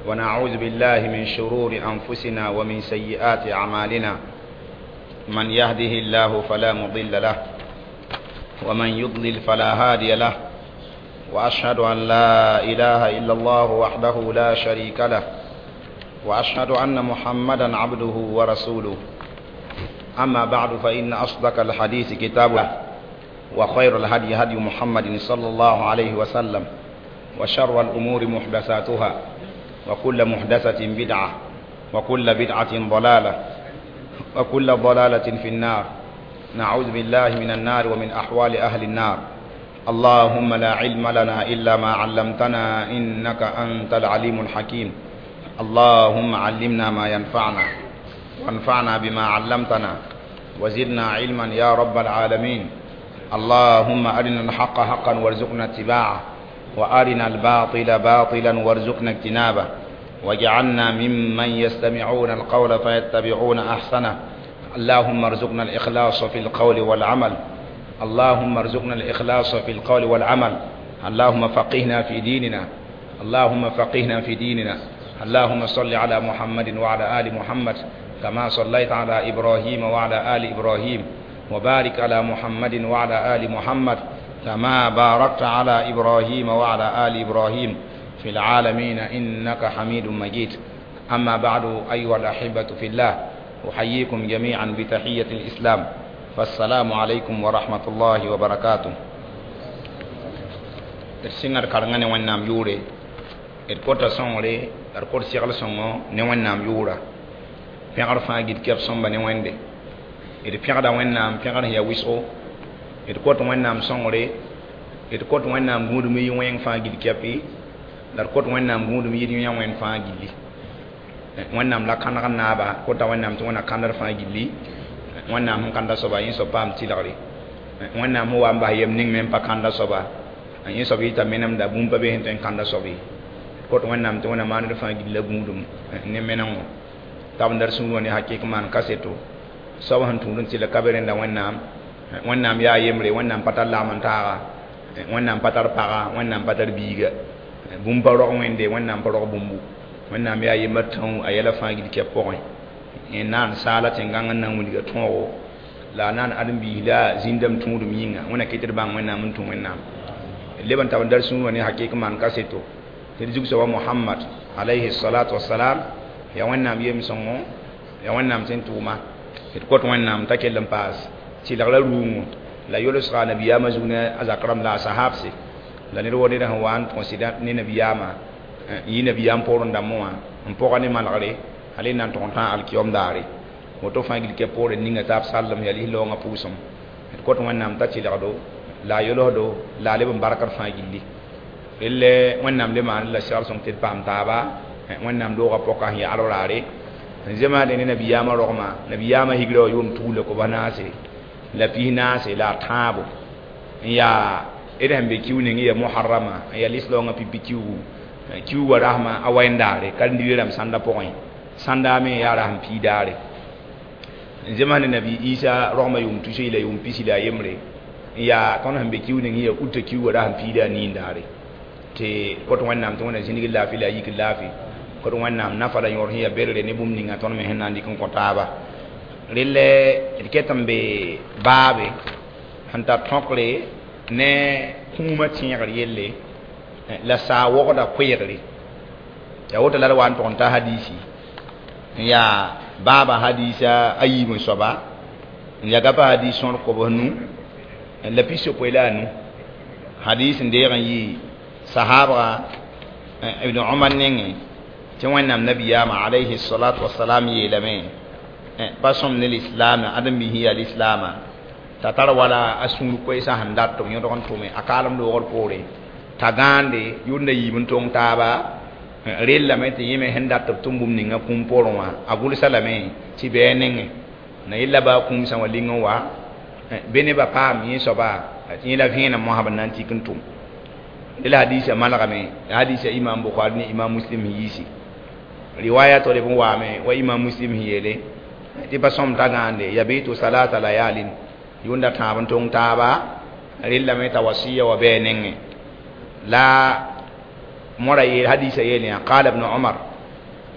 ونعوذ بالله من شرور أنفسنا ومن سيئات أعمالنا. من يهده الله فلا مضل له ومن يضلل فلا هادي له، وأشهد أن لا إله إلا الله وحده لا شريك له، وأشهد أن محمدا عبده ورسوله. أما بعد، فإن أصدق الحديث كتاب الله، وخير الهدي هدي محمد صلى الله عليه وسلم، وشر الأمور محدثاتها، وكل محدثة بدعة، وكل بدعة ضلالة، وكل ضلالة في النار. نعوذ بالله من النار ومن أحوال أهل النار. اللهم لا علم لنا إلا ما علمتنا إنك أنت العليم الحكيم. اللهم علمنا ما ينفعنا، وانفعنا بما علمتنا، وزدنا علما يا رب العالمين. اللهم أرنا الحق حقا وارزقنا اتباعه، وأرنا الباطل باطلا وارزقنا اجتنابه، واجعلنا ممن يستمعون القول فيتبعون أحسنه. اللهم ارزقنا الإخلاص في القول والعمل. اللهم ارزقنا الإخلاص في القول والعمل. اللهم فقهنا في ديننا. اللهم فقهنا في ديننا. اللهم صل على محمد وعلى آل محمد كما صليت على إبراهيم وعلى آل إبراهيم، وبارك على محمد وعلى آل محمد كما باركت على إبراهيم وعلى آل إبراهيم في العالمين إنك حميد مجيد. أما بعد، أيها الأحبة في الله، أحييكم جميعا بتحية الإسلام، فالسلام عليكم ورحمة الله وبركاته. D sɩngd karengã ne Wẽnnaam yʋʋre, d kota sõngre la d kot segl sõngo ne Wẽnnaam yʋʋra. Pẽgr fãa gil kɛp sõmba ne Wẽnde. D pẽgda Wẽnnaam pẽgr sẽn yaa wɩsgo. D kot Wẽnnaam sõngre, d kot Wẽnnaam gũudum y wẽng fãa gil kɛpɩ, la d kot Wẽnnaam gũudum yɩd yã wẽnd fãa gilli. Wẽnnaam la kãneg n naaba, kota Wẽnnaam tɩ Wẽnna kãndr fãa gilli. Wẽnnaam sẽn kãnda soaba, yẽ soab paam tɩlgre. Wẽnnaam sẽn wa n bas yem ning me n pa kãnda soaba, yẽ soab yɩta menemda, bũmb pa be sẽn tõe n kãnda soab ye. Kot Wẽnnaam tɩ Wẽnna maand fãa gilla gũudum ne menengo tab n dar sũur wã ne hakɩk maan kaseto soab sẽn tũud n tɩlg ka be rẽnda Wẽnnaam. Wẽnnaam yaa yembre, Wẽnnaam pa tar lagm n taaga, Wẽnnaam pa tar paga, Wẽnnaam pa tar biiga, bũmb pa rog Wẽnde, Wẽnnaam pa rog bũmbu. Wẽnnaam yaa yembr tãoo a yɛla fãa gil kɛp pʋgẽ. N naan saala tẽn-gãng n na n wilga tõogo, la a naan ãdem-biis la zĩndame tũudum yĩnga. Wẽnna kɩt d bãng Wẽnnaam n tũ Wẽnnaam. Leb n tab n dar sũur wã ne hakɩk maan kaseto tɩ d zug soaba Mohamad alayhi salatu wasalam yaa Wẽnnaam yem-sõngo, yaa Wẽnnaam sẽn tʋʋma. D kot Wẽnnaam t'a kell n paas tɩlgra rũuŋo la yolsga nabiyaamã zug ne a zak rãmb la a sahabse la ned wa ned sẽn wa n tõs ne nabiyaamã, n yɩ nabiyaam poorẽ dãmbẽ wã n pʋga ne malgre hal n na n tʋg n tã alkiyom daare. Woto fãa gil kɛ poorẽ ninga taab sallem yaa lis-laoongã pʋʋsem. D kot Wẽnnaam t'a tɩlgdo la a yolsdo la a leb n barkd fãa gilli. Relle Wẽnnaam le maan la segl sõng tɩ d paam taaba Wẽnnaam doogã pɔka sẽn yaa alraare n zemaade ne nabiyaamã rogmã. Nabiyaamã higra wã yʋʋm tugla koba naase la pis naase la a tãabo n yaa d sẽn be kiu ning ya Muharrama, n yaa lislaoongã pipi kiugu, kiuugã rasmã a wẽndaare karen-dibrã rãmb sãnda pʋgẽ, sãnda me yaa rasem pii daare. N zems ne nabi Isa rogmã yʋʋm tus la yʋʋm pisi la a yembre n yaa tõnd sẽn be kiu ning ya uta kiuugã rasem piida a niin daare. Tɩ kot Wẽnnaam tɩ Wẽnna zĩnig laafɩ la a yik laafɩ. Kot Wẽnnaam nafa la yõor sẽn yaa berre ne bũmb ninga tõnd me sẽn na n dɩk n kõ taaba. Relle d ket n be baabe sẽn tar tõkre ne kũumã tẽegr yelle la saa wogda koeegre. Yaa woto la d wa n tʋg n ta hadiisi n yaa baaba hadiisa a yiib n soaba n yaa gapa hadiis sõor kobs nu la pisopoe la a nu. Hadiis n deeg n yɩ sahabga Ibn Umar nengẽ tɩ Wẽnnaam nabiyaamã alayhi salatu wasalam yeelame pa sõm ne lislaam ãdem-biis yaa lislaamã t'a tar wala a sũur koɛɛsã sẽn dat tɩ b yõdg n tʋme a kaalem loogr poore t'a gãande yʋnda yiib n tong taaba. Rellame tɩ yẽ me sẽn dat tɩ b tʋm bũmb ninga kũum poorẽ wã a gʋlsa lame tɩ bɩ a nengẽ na yella baa kũumsã wã ling n wa be nebã paam yẽ soaba tɩ yẽ la vẽenem mosã b na n tik n tʋm. La hadisa malgame, hadisa Imam Bukhari ne Imam Muslim yiisi riwaya to b waame wa Imam Muslim yeele tɩ pa sõm t'a gãande yabitu salata layalin yʋnda tãab n tong taaba. Rellame t'a wasiya wa bɩ a nengẽ la mora yeel hadisa yeel yã. Qala Ibn Umar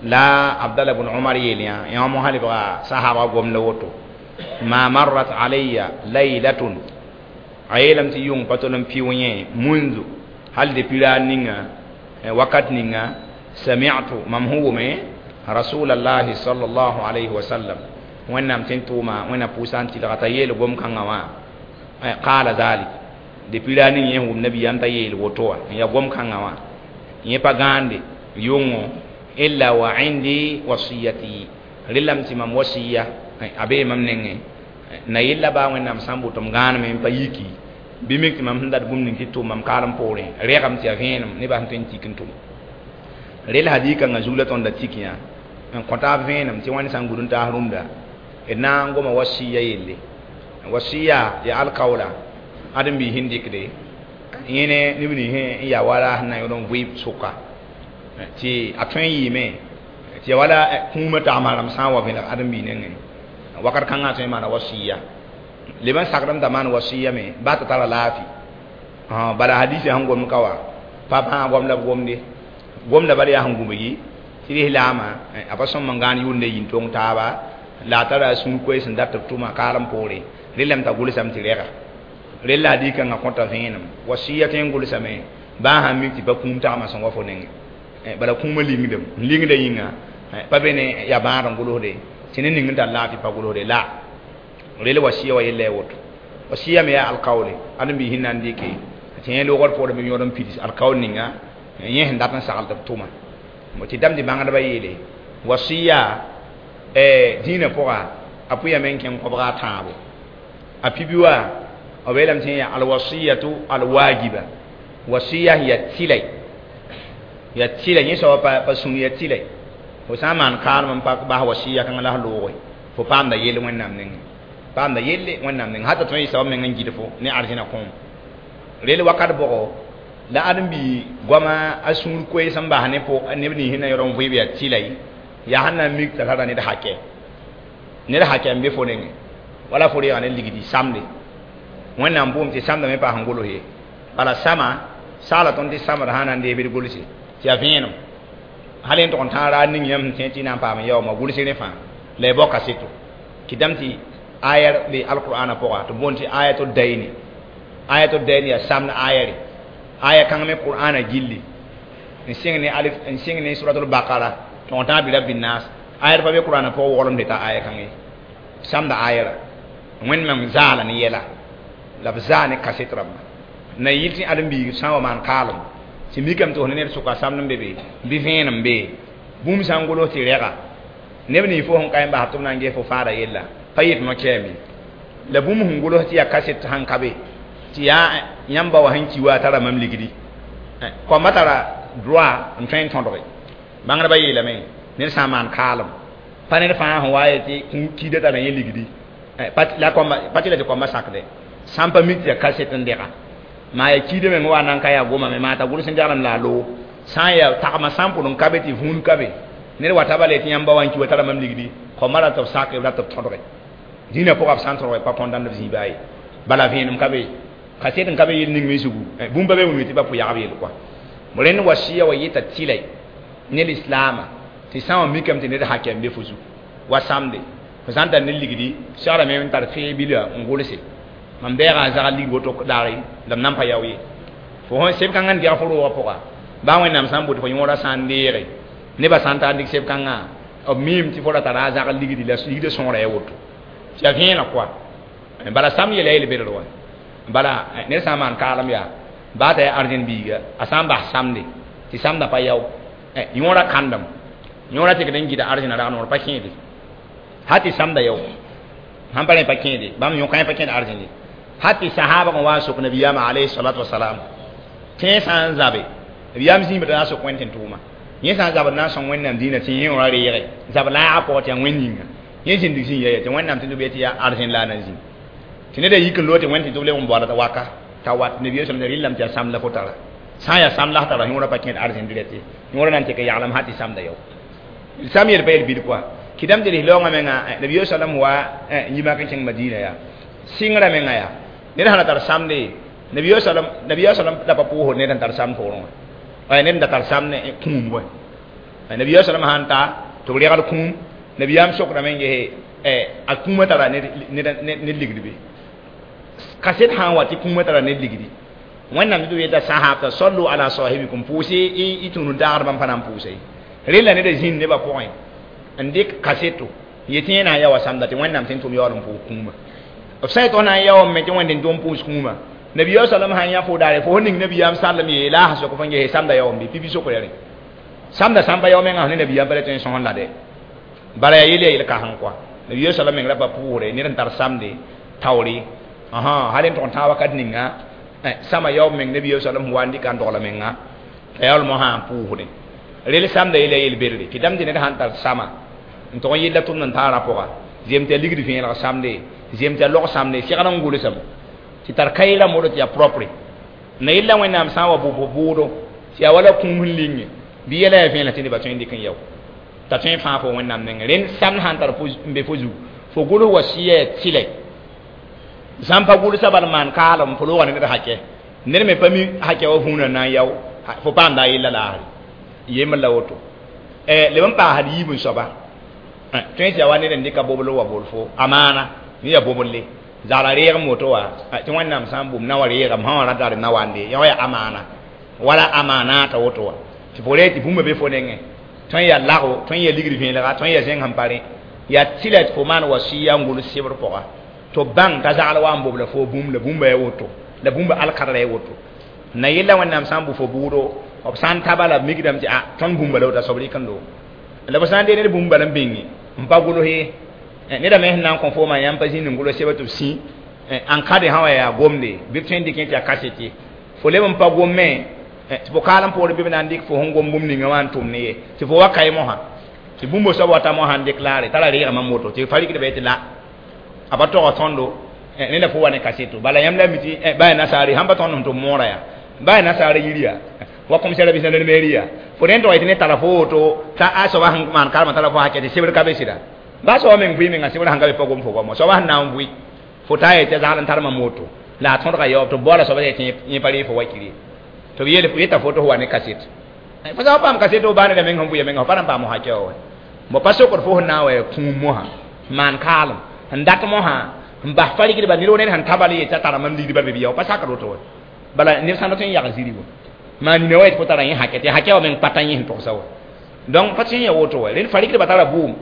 La Abdallah ibn Umar yeel yã yã mo halibga sahaba gomda woto ma marrat alayya laylatun a yeelame tɩ yʋng pa tol n pɩʋ yẽ mundu hal depuis raar ninga wakat ninga sami'tu mam sẽn wʋme rasulallahi sallallahu alayhi wa sallam wẽnnaam tɩ n tʋʋma wẽnnaam pʋʋsa n tɩlga t'a yeel gom-kãngã wã qala dhalik depuis raar ning yẽ sẽn wʋm nabiyaam t'a yeel woto wã n yaa gom-kãngã wã yẽ pa gãande yʋngo illa wa indi wasiyati rẽlame tɩ mam wasiya a bee mam nengẽ na yella baa wẽnnaam sã n boto m gãaneme n pa yiki bɩ mik tɩ mam sẽn dat bũmb ning tɩ tʋm mam kaalem poorẽ rɛgame tɩ yaa vẽenem nebã sẽn tõe n tik n tʋm rel hadikãngã zug la tõnd da tik yã n kõ taab vẽenem tɩ wãn sã n gũd n taas rũndã d na n goma wasiya yelle wasiya ya alkaoola ãdem-biis sẽn dɩkde yẽ ne neb nins n yaa wala sẽn na n yõd n vɩɩb sʋka tɩ a tõe n yɩɩme tɩ ya wala kũumã tagmã rãmb sã n wa vẽlg ãdem-biis nengẽ wakat kãngã tõe n maana wasiya leb n sakdame t'a maan wasiya me baa t'a tara laafɩ bala hadisa sẽn gomd ka wa pa bãag goam la b gomde gomda bala yaa sẽn gũbgi tɩ lislaamã a pa sõm n gãan yʋʋnd yin-tong taaba la a tara a sũur koees n dat tɩ b tʋma kaalem poore rẽllame t'a gʋlsame tɩ rɛga rella hadikãngã kõta vẽenem wasiya tõe n gʋlsame baa sãn mik tɩ pa kũum tagmã sẽn wa fo nengẽ bala kũumã lingdem n lingda yĩnga pa be ne yaa bãad n gʋlsde tɩ ne ning n tar laafɩ pa gʋlsde la rel wasiya wa yella ya woto wasiya me yaa alkaoole ãdem-biis sẽn na n dɩke tɩ yẽ loogd poorẽ bɩ yõod n pids alkaool ninga yẽ sẽn dat n sagl tɩ b tʋma tɩ dãmb tɩ bãngdbã yeele wasiya dĩinã pʋga a pʋyame n kẽng kobga a tãabo a pibi wã b yeelame tɩ yaa alwasiyatu alwajiba wasiya ya tɩlɛ ya tɩlɛ yẽ soaba pa sũur ya tɩlɛ fo sã n maan kaalem n pa bas wasiya kãngã la s looge fo paamda yell wẽnnaam nengẽ paamda yelle wẽnnaam nengẽ hata tõe n soab meng n gɩd fo ne arzẽna kõom rel wakat bʋgo la ãdem-bi goama a sũur koees n bas ne neb nins sẽn na yõd n vɩɩb yaa tɩlɛ yaa sẽn na n mik t'a tara ned hakɛ ned hakɛ n be fo nengẽ wala fo reega ne ligdi samde wẽnnaam bʋʋm tɩ samdame paas n gʋls ye bala sama saala tõnd tɩ samd sã na n deeb d gʋlse tɩ yaa vẽenem hal n tʋg n tãag raar ning yãmb sẽn tẽ tɩ na n paam n yaooma gʋls rẽ fãa la y bao kaseto tɩ dãmb tɩ ayar be alqur'ana pʋga tɩ boond tɩ ayato dayni ayato dayni yaa samd ayare aya kãng me qur'ana gilli n sɩng ne alif n sɩng ne suratul baqara tɩ n tãag bi rabbi nas ayar pa be qur'ana pʋgã woglem tɩ ta aya kãng ye samda ayara wẽnd meng zaala ne yɛla la b zaa ne kaset rãmba na yɩl tɩ ãdem-biig sã n wa maan kaalem tɩ mikame tɩ fo ne ned sʋka samd n be be bɩ vẽenem be bũmb sã n gʋls tɩ rɛga neb nins fo sẽn ka n bas tɩ b na n ges fo faada yella pa yet no-kɛɛm ye la bũmb sẽn gʋls tɩ yaa kaset sãn ka be tɩ yaa yãmb ba wa sẽn ki wa a tara mam ligdi kõmba tara droit n tõe n tõdge bãngdbã yeelame ned sã n maan kaalem pa ned fãa sẽn wa ye tɩ kiida tara yẽ ligdi pa tɩ la tɩ kõmba sakdɛ sã n pa mik tɩ yaa kaset n dɛga maa yaa kiida meng wa na n ka yaa gomame maa t'a gʋls n deglem la a loog sã n yaa tagmã sã n pʋd n ka be tɩ vũun ka be ned wa taba le tɩ yãmb ba wa n ki wa tara mam ligdi kõmba ra tɩ b sak b ra tɩ b tõdge dĩinã pʋga b sã n tõdge pa kõndãnd b zĩiba ye bala vẽenem ka be kaset n ka be yel ning me zugu bũmb pa be wilg tɩ ba pʋ-yagb yel kɔa rẽnd wasiya wa yeta tɩlɛ ne lislaamã tɩ sã n wa mikame tɩ ned hakɛ n be fo zugu wa samde fo sã n tar ne ligdi segrame n tar fẽe bila n gʋlse mam bɛɛga a zagl ligd woto daare la m nan pa yao ye fo sẽn seb kãngã n dɛg fo roogã pʋga baa wẽnnaam sã n boto fo yõorã sã n deege nebã sã n tar n dɩk seb kãngã b miime tɩ fo ra tara a zagl ligdi la ligdã sõora ya woto tɩ yaa vẽeneg kɔa bala sam yɛla yel bedr wa bala ned sã n maan kaalem yaa baa t'a yaa arzẽn biiga a sã n bas samde tɩ samdã pa yao yõorã kãndem yõorã tɩkd n gɩda arzẽna rag noor pa kẽede ha tɩ samda yao sãn pa rẽ pa kẽede bãmb yõkã pa kẽed arzẽn ye ha tɩ sahaba n wa n sok nabiyaamã alayhi salatu wasalam tẽeg sã n zabe nabiyaam zĩigã tɩ na n sok wẽnd tɩ n tʋʋma yẽ sã n zabd na n sõng wẽnnaam dĩinã tɩ yẽ wã reege zab laagã pʋgã tɩ yaa wẽnd yĩnga yẽ zĩndig zĩ ya tɩ wẽnnaam tɩ tɩ tɩ yaa arzẽn la a na n zĩ tɩ ned a yik n loog tɩ wẽnd tɩ tɩ b leb n baood waka t'a wat nabiyaam sẽm rɩllame tɩ yaa samd la fo tara sã n yaa samd la f tara yõorã pa kẽed arzẽn direct ye yõorã na n tɩk yaglem sã tɩ samda yao sam yel pa yel bil kɔa kɩdame tɩ lislaoongã menga nabiyaam sallam wa yĩmak n kẽng madina yaa sɩngrã menga yaa ned sã na tar samde nabiyaam sallam la pa pʋʋsd ned n tar samd poorẽ wã ned n da tar samd kũum wã Nabiya sallam han ta tɩ b regl kũum. Nabiyaam sokdame n gese a kũumã tara ned ligd be kaset sã n wa tɩ kũumã tara ned ligdi. Wẽnnaam tɩ b yeta sahabta sallu ala sahibikum, pʋʋse y tũud n taagdbã n pa na n pʋʋsa ye. Rella ned zĩnd nebã pʋgẽ n dɩk kaseto yetɩ yẽ na n yaoa samda tɩ Wẽnnaam tɩ n tʋm yaool n pʋʋs kũumã. B sã yetɩ f na n yaoom me tɩ Wẽnd n tʋm pʋʋs kũumã. Nabiya sallam sã n yã fo daare fo ning nabiyaam sallem yeela a sok f n gese samda yaoom bɩ pipi sokra rẽ samda sã n pa yao mengã ne nabiyaam pa le tõe n sõs la dɛ bala yaa yel ya yel-kãseng kɔa. Nabiya sallam meng ra pa pʋʋsre ned n tar samde taoore hal n tʋg n tãag wakat ninga sama yaoom meng nabiya sallam wa n dɩka n dogla menga t'a yaool mosã n pʋʋsdẽ rel samda yel ya yel-bedre tɩ dãmb tɩ ned sãn tar sama n tʋg n yella tʋmd n taara pʋga zem tɩ a ligd vẽelg samde, zem tɩ a log samde segd n gʋlsame tɩ tar kaɩ rãmb woto tɩ yaa propre na yella Wẽnnaam sã n wa bʋ bʋʋdo tɩ yaa wala kũum sẽn linge bɩ yɛla yaa vẽelg tɩ nebã tõe n dɩk n yao t'a tõe n fãa fo Wẽnnaam nengẽ. Rẽnd samd sãn tar n be fo zugu fo gʋls wa sɩya yaa tɩlɛ sã n pa gʋlsa bal maan kaalem fo loogã ne ned hakɛ ned me pa mi hakɛ wa vũunã na n yao fo paamda a yella laasre yembr la woto leb n paasd yiib n soaba tõe tɩ yaa wa ned n dɩka bobl wa bol fo amaana ne yaa boble zagla reegem woto wa tɩ Wẽnnaam sã n bʋm na wa reegame sã wã ra tar na wande yã wa yaa amaana wala amaanaata woto wa tɩ fo reeg tɩ bũmba be fo nengẽ tõe n yaa lago, tõe n yaa ligd vẽelega, tõe n yaa zẽng sẽn pa rẽ yaa tɩla tɩ fo maan wa sɩya n gʋls sebr pʋga tɩ b bãng t'a zagl wa n bobla fo bũmb la bũmba yaa woto la bũmba alkadra yaa woto na yella Wẽnnaam sã n bʋ fo bʋʋdo b sã n taba la b mikdame tɩ a tõnd bũmba la woto a soab rɩk n loog la b sã n dee ned bũmb bala n bĩnge n pa gʋls ye neda me sẽn na n kõ fooma yãmb pa zĩnd n gʋls sebr tɩ b sĩ n kade sã wa yaa gomde bɩ b tõe n dɩk tɩ yaa kasete fo leb n pa gomme tɩ fo kaalem poorẽ bɩ b na n dɩk fo sẽn gom bũmb ninga wã n tʋm ne ye tɩ fo wa kae mosã tɩ bũmb soab wata mosã n déclare t'a ra reegame n woto tɩ fa rɩkdba tɩ la a pa tog tõndo ne la fo wa ne kaseto bala yãmb la mi tɩ ba yaa nasaare sãn pa tõnd sẽn tʋm moorã yaa ba yaa nasaara yiri yaa wa commissaire bisã ne mairie yaa fo rẽnd tog yetɩ ne tara fo woto t'a a soaba sẽn maan karema tara fo hakɛ tɩ sebr ka be sɩda ba soaba meng vɩ menga sebr sãn ka be pa gom fo goamo soaba sẽn na n vʋɩ fo taa yetɩ a zagl n tar mam woto la a tõdga yaoob tɩ b baoola soaba tɩ yẽ pa ree fo wakiri tɩ b yeel yeta fo tɩ fo wa ne kaset fo sã n paam kaset f baa neda meng sẽn vʋɩa menga fo pa na n paam hakɛ wa mo pa sokd fo sẽn na n wa yaa kũum mosã maan kaalem n dat mosã n bas fa rɩkdba ned wo ned sẽn tabal yetɩ a tara mam ligdba be bɩ yao pa sakd woto wa bala ned sã n dat n yag ziri wa maa nina wa yetɩ fo tara yẽ hakɛ tɩ hakɛ wa meng pata yẽ sẽn togsa wa donc pa tõe n ya woto wa rẽnd fa rɩkdba tara bʋʋm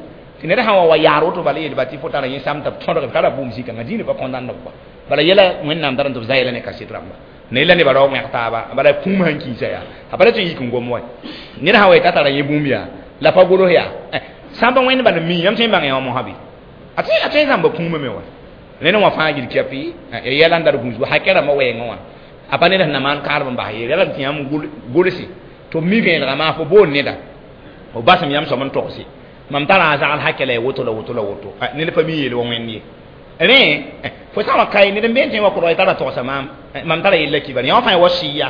tɩ ned sã n wa yaar woto bala yeelba tɩ fo tara yẽ sam tɩ b tõdg tara bʋʋm zĩ-kãngã zĩnd pa kõndãnd b kɔa bala yɛla Wẽnnaam dar n tɩ b zã yɛla ne kaset rãmba ne yɛla nebã rao wẽg taaba bala kũum sãn kiisa yaa a pa ra tõe n yik n gom wa ned sã wa yetɩ a tara yẽ bũmb yaa la pa gʋls yaa sã n pa wẽnd bal n mi yãmb tõe n bãng yã wã mosã bɩ a tõe n zãmba kũumã me wa ned wã fãa gil kɛpɩ ya yɛla n dar gũusgo hakɛ rãmbã wɛɛngã wã a pa ned sẽn na maan kaalem n bas ye yɛla tɩ yãmb gʋlse tɩ b mi vẽelegã maa fo boond neda f basem yãmb soab n togse mam tara a zagl hakɛ la ya woto la woto la woto ned pa mi yeel wa wẽnd ye rẽ fo sã n wa kae ned n been tẽ wa kʋrg tara togsa maam mam tara yella kibar yã wã fãa wa sɩya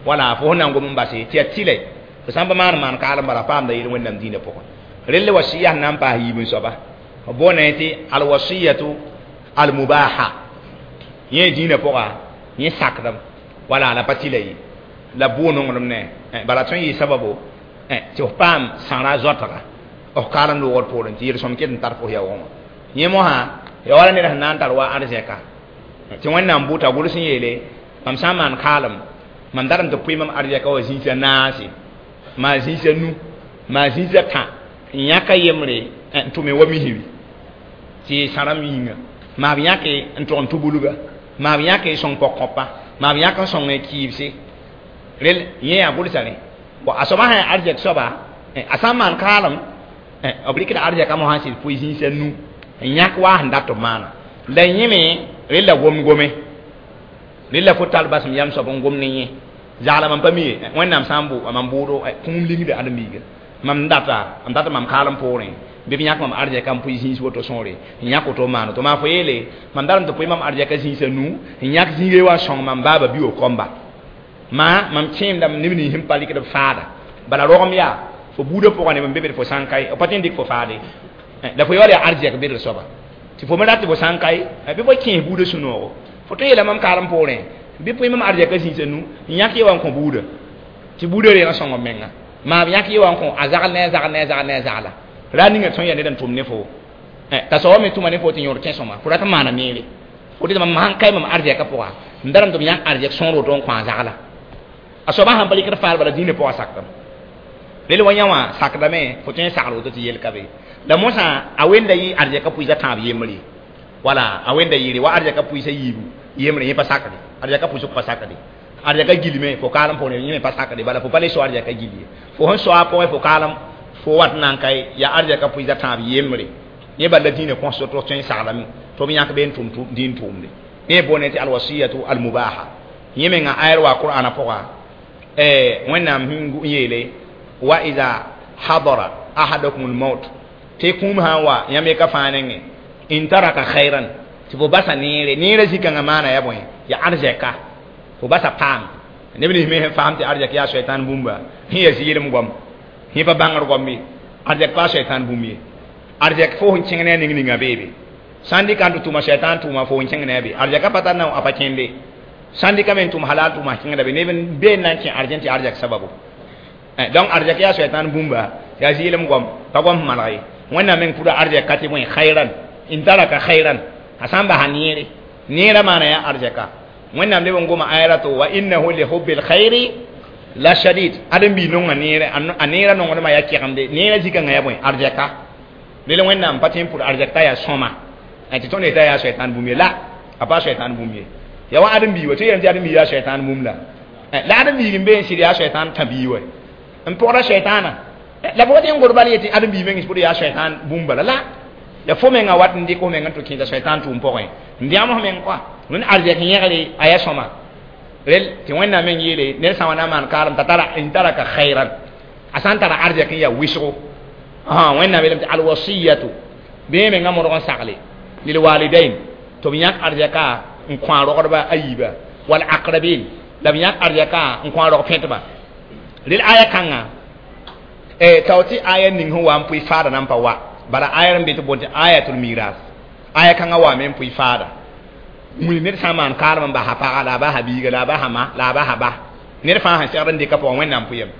wala fo sẽn na n gom n base tɩ yaa tɩlɛ fo sã n pa maan maan kaalem bala paamda yel Wẽnnaam dĩinã pʋgẽ relle wa sɩya sẽn na n paas yiib n soaba b boonda tɩ alwasiyatu almubaha yẽ dĩinã pʋga yẽ sakdem wala la pa tɩla ye la bʋʋ nonglem ne bala tõe n yɩ sababo tɩ f paam sãra zoatga f kaalem loogr poorẽ tɩ yel-sõm ket n tar fo yaoogẽ wã yẽ mosã ya wala ned sẽn na n tar wa arzɛka tɩ Wẽnnaam bʋta gʋls n yeele mam sã n maan kaalem mam darame tɩ pʋɩ mam arzɛka wa zĩisã naase maa zĩisã nu maa zĩisã tã n yãka yembre n tʋme wa misri tɩ sãrãmb yĩnga maa b yãke n tʋg n tʋ-bulga maa b yãke sõng pɔg-kõpa maa b yãk n sõng kɩɩbse rel yẽ yaa gʋlsa rẽ a soaba sã yaa arzɛk soaba a sã n maan kaalem b rɩkda arzɛka mosã n sɩd pʋɩ zĩisã nu n yãk waa sẽn dat b maana la yẽ me rella gom gome rella fo tar basem yam soab n gom ne yẽ zagla mam pa mi ye Wẽnnaam sã n bʋ mam bʋʋdo kũum lingda ãdem-biiga mam data n data mam kaalem poorẽ bɩ b yãk mam arzɛka n pʋɩ zĩis woto sõore n yãk woto n maan to maa fo yeele mam darame tɩ pʋɩ mam arzɛka zĩisã nu n yãk zĩigã wa n sõng mam baaba bi wa kõmba maa mam kẽemdame neb nins sẽn pa rɩkd b faada bala rogem yaa fo buudã pʋgã neb n be be fo sã n kae b pa tõe n dɩk fo faade la fo yaool yaa arzɛk bedr soaba tɩ fo me rat tɩ fo sã n kae bɩ fo kẽes buudã sũ-noogo fo tõe n yeela mam kaalem poorẽ bɩ pʋɩ mam arzɛka zĩisã nu n yãk ye wa n kõ buudã tɩ buudã reeg n sõng b menga. Ma yãk ye wã n kõ a zagl ne a zagl ne a zagl ne a zagla ra ninga tõe n yaa ned n tʋm ne fo t'a soaba me tʋma ne fo tɩ yõod kẽ-sõma fo rat n maana neere fo tɩ mam sãn kae mam arzɛkã pʋga n darame tɩ b yãk arzɛk sõor woto n kõ a zagla a soaba sãn pa rɩkd faar bala dĩinã pʋgã sakdame rel wa yã wã sakdame fo tõe n sagl woto tɩ yel ka be la mosã a wenda yɩ arzɛkã pʋɩsa tãab yembre wala a wenda yɩɩre wa arzɛkã pʋɩsa yiibu yembre yẽ pa sakde arzɛkã pʋɩsg pa sakde arzɛka gilme fo kaalem pʋgẽ yẽ me pa sakde bala fo pa le so arzɛka gil ye fo sẽn so a pʋgẽ fo kaalem fo wat n na n kae yaa arzɛka pʋɩsa tãab yembre yẽ bala dĩinã kõs tɩ tõe n saglame tɩ b yãk be n tʋm dĩin tʋʋmde yẽ boone tɩ alwasiyatu almubaha yẽ menga ayr wa qur'ana pʋga wẽnnaam sẽn yeele wa ida hadara ahadakum almaut tɩ kũum sã n wa yãmb ye ka fãa nengẽ in taraka khairan tɩ fo basa neere neerã zĩ-kãngã maana ya bõe ya arzɛka fo basa paam neb nins me sẽn faam tɩ arzɛk yaa soɛtãan bũmba sẽn ya zɩɩlem goam sẽ pa bãngr goam ye arzɛk pa soɛtãan bũmb ye arzɛk fo sẽn kẽng ne a ning ninga beebe sãn dɩka n tɩ tʋma soɛtãan tʋʋma fo n kẽng ne a be arzɛka pa tar na a pa kẽnde sãn dɩka me n tʋm halal tʋʋma kẽngda be neb n bee n na n kẽ arzɛn tɩ arzɛk sababu donc arzɛk yaa soɛtãan bũmba yaa zɩɩlem goam pa goam sẽn maneg ye wẽnnaam meng pʋda arzɛk ka tɩ bõe khairan in taraka khairan a sã n basa neere neerã maana yaa arzɛka wẽnnaam leb n goma ayra to wa innahu li hubbil khairi la shadid ãdem-biig nonga neere a neerã nongdmã yaa kɛgemde neerã zĩ-kãngã yaa bõe arzɛka rel wẽnnaam pa tõe n pʋd arzɛk t'a yaa sõma tɩ tõnd yetã yaa soɛtãan bũmb ye la a pa soɛtãan bũmb ye ya wa ãdem-biig wa tɩ yeelame tɩ ãdem-biig yaa soɛtãan bũmb la la ãdem-biig n be n sɩd yaa soɛtãan tã-biig wa n pʋgda soɛtãana la fo tɩ n god bal yetɩ ãdem-biig meng pʋd yaa soɛtãan bũmb bala la ya fo menga wat n dɩk f meng n tɩ kẽesa soɛtãan tʋʋm pʋgẽ n dẽgem f meng kɔa wẽnd arzɛk yẽgre a yaa sõma rel tɩ wẽnnaam meng yeele ned sã n wa na n maan kaalem t'a tara n taraka khairan a sã n tara arzɛk n yaa wɩsgo wẽnnaam yeelame tɩ alwasiyatu bɩ mengã modg n sagle lilwalidain tɩ b yãk arzɛka n kõ a rogdba a yiiba wal aqrabin la b yãk arzɛka n kõ a rog pẽtba rel aya kãnga tao tɩ aya ning sẽn wa n pʋɩ faada na n pa wa bala aya n be tɩ boond tɩ ayatul miras aya kãngã waame n pʋɩ faada wilg ned sã n maan kaalem n basa paga la a basa biiga la a basa ma la a basa ba ned fãa sẽn segd n dɩka pʋgã wẽnnaam pʋyame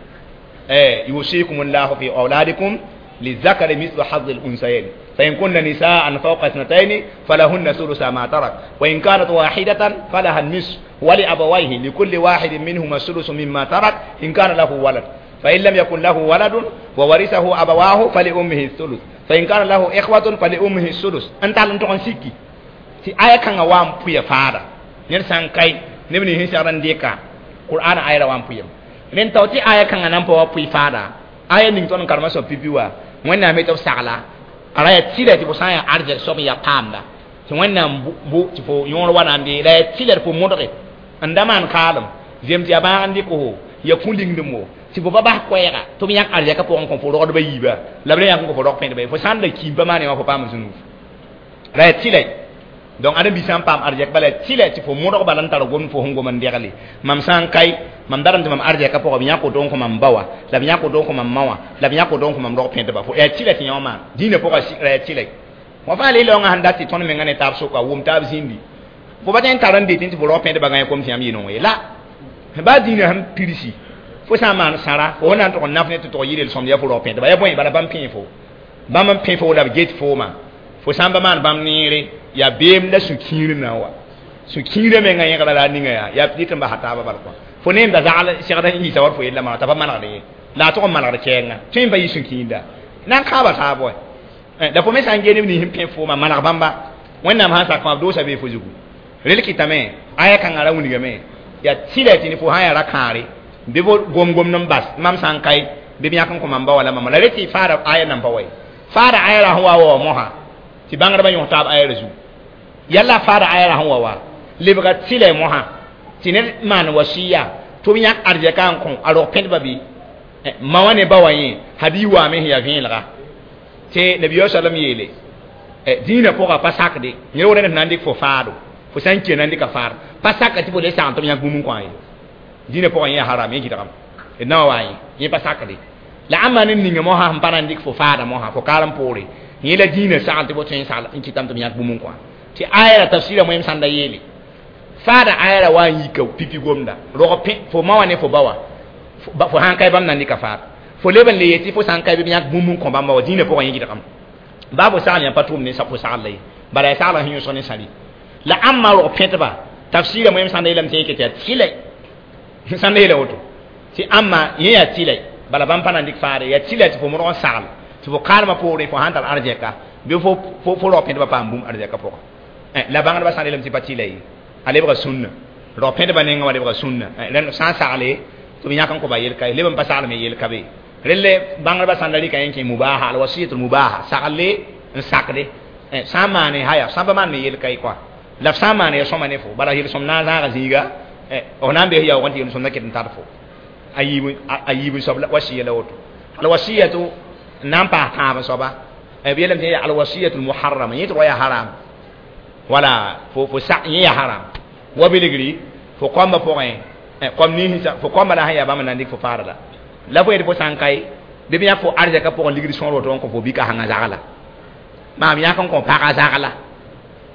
yusikum llahu fi auladikum للذكر مثل حظ الأنثيين فإن كن نساء فوق اثنتين فلهن ثلث ما ترك وإن كانت واحدة فلها النصف ولأبويه لكل واحد منهما الثلث مما ترك إن كان له ولد فإن لم يكن له ولد وورثه أبواه فلأمه الثلث فإن كان له إخوة فلأمه الثلث أنت على أن سيكي تي آية كان وام بويا فارا نرسان كاي نبني هنسان ديكا قرآن آية وام بويا نين توتي آية كان نام بوا فارا آية نين تون كارما سو بيبيوا wẽnnaam tɩ b sagla a ra yaa tɩlɛ tɩ fo sã n yaa arzɛk soab n yaa paamda tɩ wẽnnaam bo tɩ fo yõor wa na n dee la yaa tɩlɛ tɩ fo modge n da maan kaalem zem tɩ yaa bãag n dɩk fo ya kũ-lingdem wo tɩ fo pa bas koɛɛga tɩ b yãk arzɛkã pʋgẽ kõ fo rogdba yiiba la b le yãk n kõ fo rog pẽdba ye fo sã n la kiim pa maan wã fo paam zũnug la yaa tɩlɛ donc ãdem-bi sã n paam arzɛk bala yaa tɩlɛ tɩ fo modg bala n tar gomd fo sẽn gom n degle mam sã n kae mam darame tɩ mam arzɛkã pʋgã b yãk woto n kõ mam ba wã la b yãk woto n kõ mam ma wã la b yãk woto n kõ mam rog pẽdba fo yaa tɩlɛ tɩ yã wã maan dĩinã pʋgã ra yaa tɩlɛ wã fãa le-laoongã sẽn dat tɩ tõnd menga ne taab soka wʋm taab zĩndi fo pa tõe n tar n detẽ tɩ fo rog pẽdba gã kom tɩ yãmb yɩ-nong ye la baa dĩinã sẽn pirsi fo sã n maan sãra fo na n tʋg n naf ne tɩ tʋg yɩ sõmd yaa fo rog pẽdba yaa bõe bala bãmb pẽe fo bãmb n pẽ fo la b get fooma fo sã n ba maan bãmb neere yaa beem la sũ-kiir na wa sũ-kiirã menga yẽgra la a ninga yaa yaa dɩt n basa taabã bal kõ fo ne n da zagl segd n yiisa wa fo yella maa t'a pa manegd ye la a tʋg n manegd kɛɛnga tõe n pa yɩ sũ-kiinda na n kãaba taab wa la fo me sã n gee neb nins n pẽ fooma maneg bãmba wẽnnaam sãn sak fãa b doosa bee fo zugu rel kɩtame aya kãngã ra wilgame yaa tɩlɛ tɩ ne fo sã n yaa ra-kãare bɩ fo gom-gomd n bas mam sã n kae bɩ b yãk n kõ mam ba wala mama la re tɩ faada aya nan pa wa ye faada aya ra sẽn wa wa mosã tɩ bãngdbã yõs taab aya ra zugu yalla faada aya ra sẽn wa wa lebga tɩlɛ mosã tɩ ned maan wasiya tɩ b yãk arzɛka n kõ a rog pẽdba bɩ ma wã ne ba wã yẽ hadiis waame sẽn yaa vẽelega tɩ nabiya salam yeele dĩinã pʋgã pa sakde yẽ wora ned na n dɩk fo faado fo sã n kẽ na n dɩka faar pa saka tɩ fo le sagn tɩ b yãk bũmb n kõ a ye dĩinã pʋgã yẽ haram yẽ gɩdgame d na wa yẽ yẽ pa sakde la ãmba ne ninga mosã sẽn pa na n dɩk fo faada mosã fo kaalem poore yẽ la dĩinã sagl tɩ fo tõe n sagl n kɩtame tɩ b yãk bũmb n kõ tɩ aya ra tafsɩra moẽm sãn da yeele faada aya ra wa n yika pipi gomda rog pẽ fo ma wã ne fo ba wã fo sãn kae bãmb na n dɩka faar Fo leb n le yetɩ fo sã n ka bɩ b yãk bũmb n kõ bãmba wa dĩinã pʋgã yẽ gɩdgame baa fo sagl yã pa tʋʋm ne fo sagl la ye bala yaa saglã sẽn yõsg ne sãri la ãmba rog pẽtba tafsɩɩra moẽm sãn da yeelame tɩ yẽ ket yaa tɩlɛ sãn da yeela woto tɩ ãmba yẽ yaa tɩlɛ bala bãmb pa na n dɩk faare yaa tɩlɛ tɩ fo modg n sagl tɩ fo kaalmã poorẽ fo sãn tar arzɛka bɩ fo rog pẽtbã paam bũmb arzɛka pʋga la bãngdbã sã n yeelame tɩ pa tɩlɛ ye a lebga sũnna rog pẽtbã nengã wã lebga sũnna rẽnd sã n sagle tɩ b yãk n kõba yel-ka ye leb n pa saglme yel-ka be relle bãngdbã sãn da rɩka yẽ kẽ mubaha alwasiyatul mubaha sagle n sakde sã n maane haya sã n pa maan me yel-ka ye kɔa la f sã n maane ya sõma ne fo bala yel-sõm na n zãaga zĩiga f na n bees yaoog n tɩ yel-sõmda ket n tar fo a yiib n soab wasiya la woto alwasiyatu n na n paas tãab n soaba b yeelame tɩ alwasiyatul muharrama yẽ tɩ wa yaa haram wala fo yẽ yaa haram wa bilgri fo kõmbã pʋgẽ kom ninsã fo kõmbã la sẽn yaa bãmb n na n dɩk fo faara la la fo yetɩ fo sã n kae bɩ b yãk fo arzɛkã pʋgẽ ligd sõor woto n kõ fo bika sãngã zagla maam yãk n kõ pagã zagla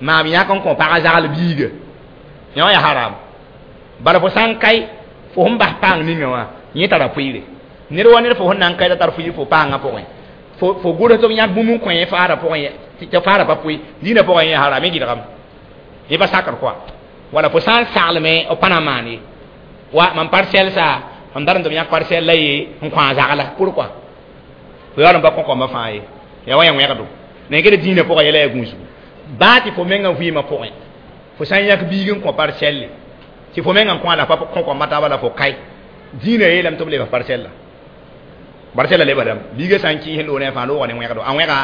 maam yãk n kõ pagã zagl biiga yã wã yaa haram bala fo sã n kae fo sẽn bas paang ninga wã yẽ tara pʋɩɩre ned wa ned fo sẽn na n kae t'a tar fʋɩɩr fo paangã pʋgẽ fo gʋls tɩ b yãk bũmb n kõ yẽ faarã pʋgẽ tɩ faarã pa pʋɩ dĩinã pʋgẽ yẽ haram yẽ gɩdgame yẽ pa sakr koa wala fo sã n saglme b pa na n maan ye wa mam parcelle sa mam dar n tɩ b yãk parcelle la ye n kõ a zagla pourquoi fo yaool n pa kõ kõmbã fãa ye yaa wa yã wẽgdo la ged dĩinã pʋgã yɛla yaa gũusgu baa tɩ fo mengã vɩɩmã pʋgẽ fo sã n yãk biig n kõ parcelle tɩ fo mengã n kõ a la pa kõ kõmbã taaba la fo kae dĩinã yeelame tɩ b lebs parcelle parcelle lebdame biigã sã n kɩɩs n loog ne a fãa loogã ne wẽgdo a wẽga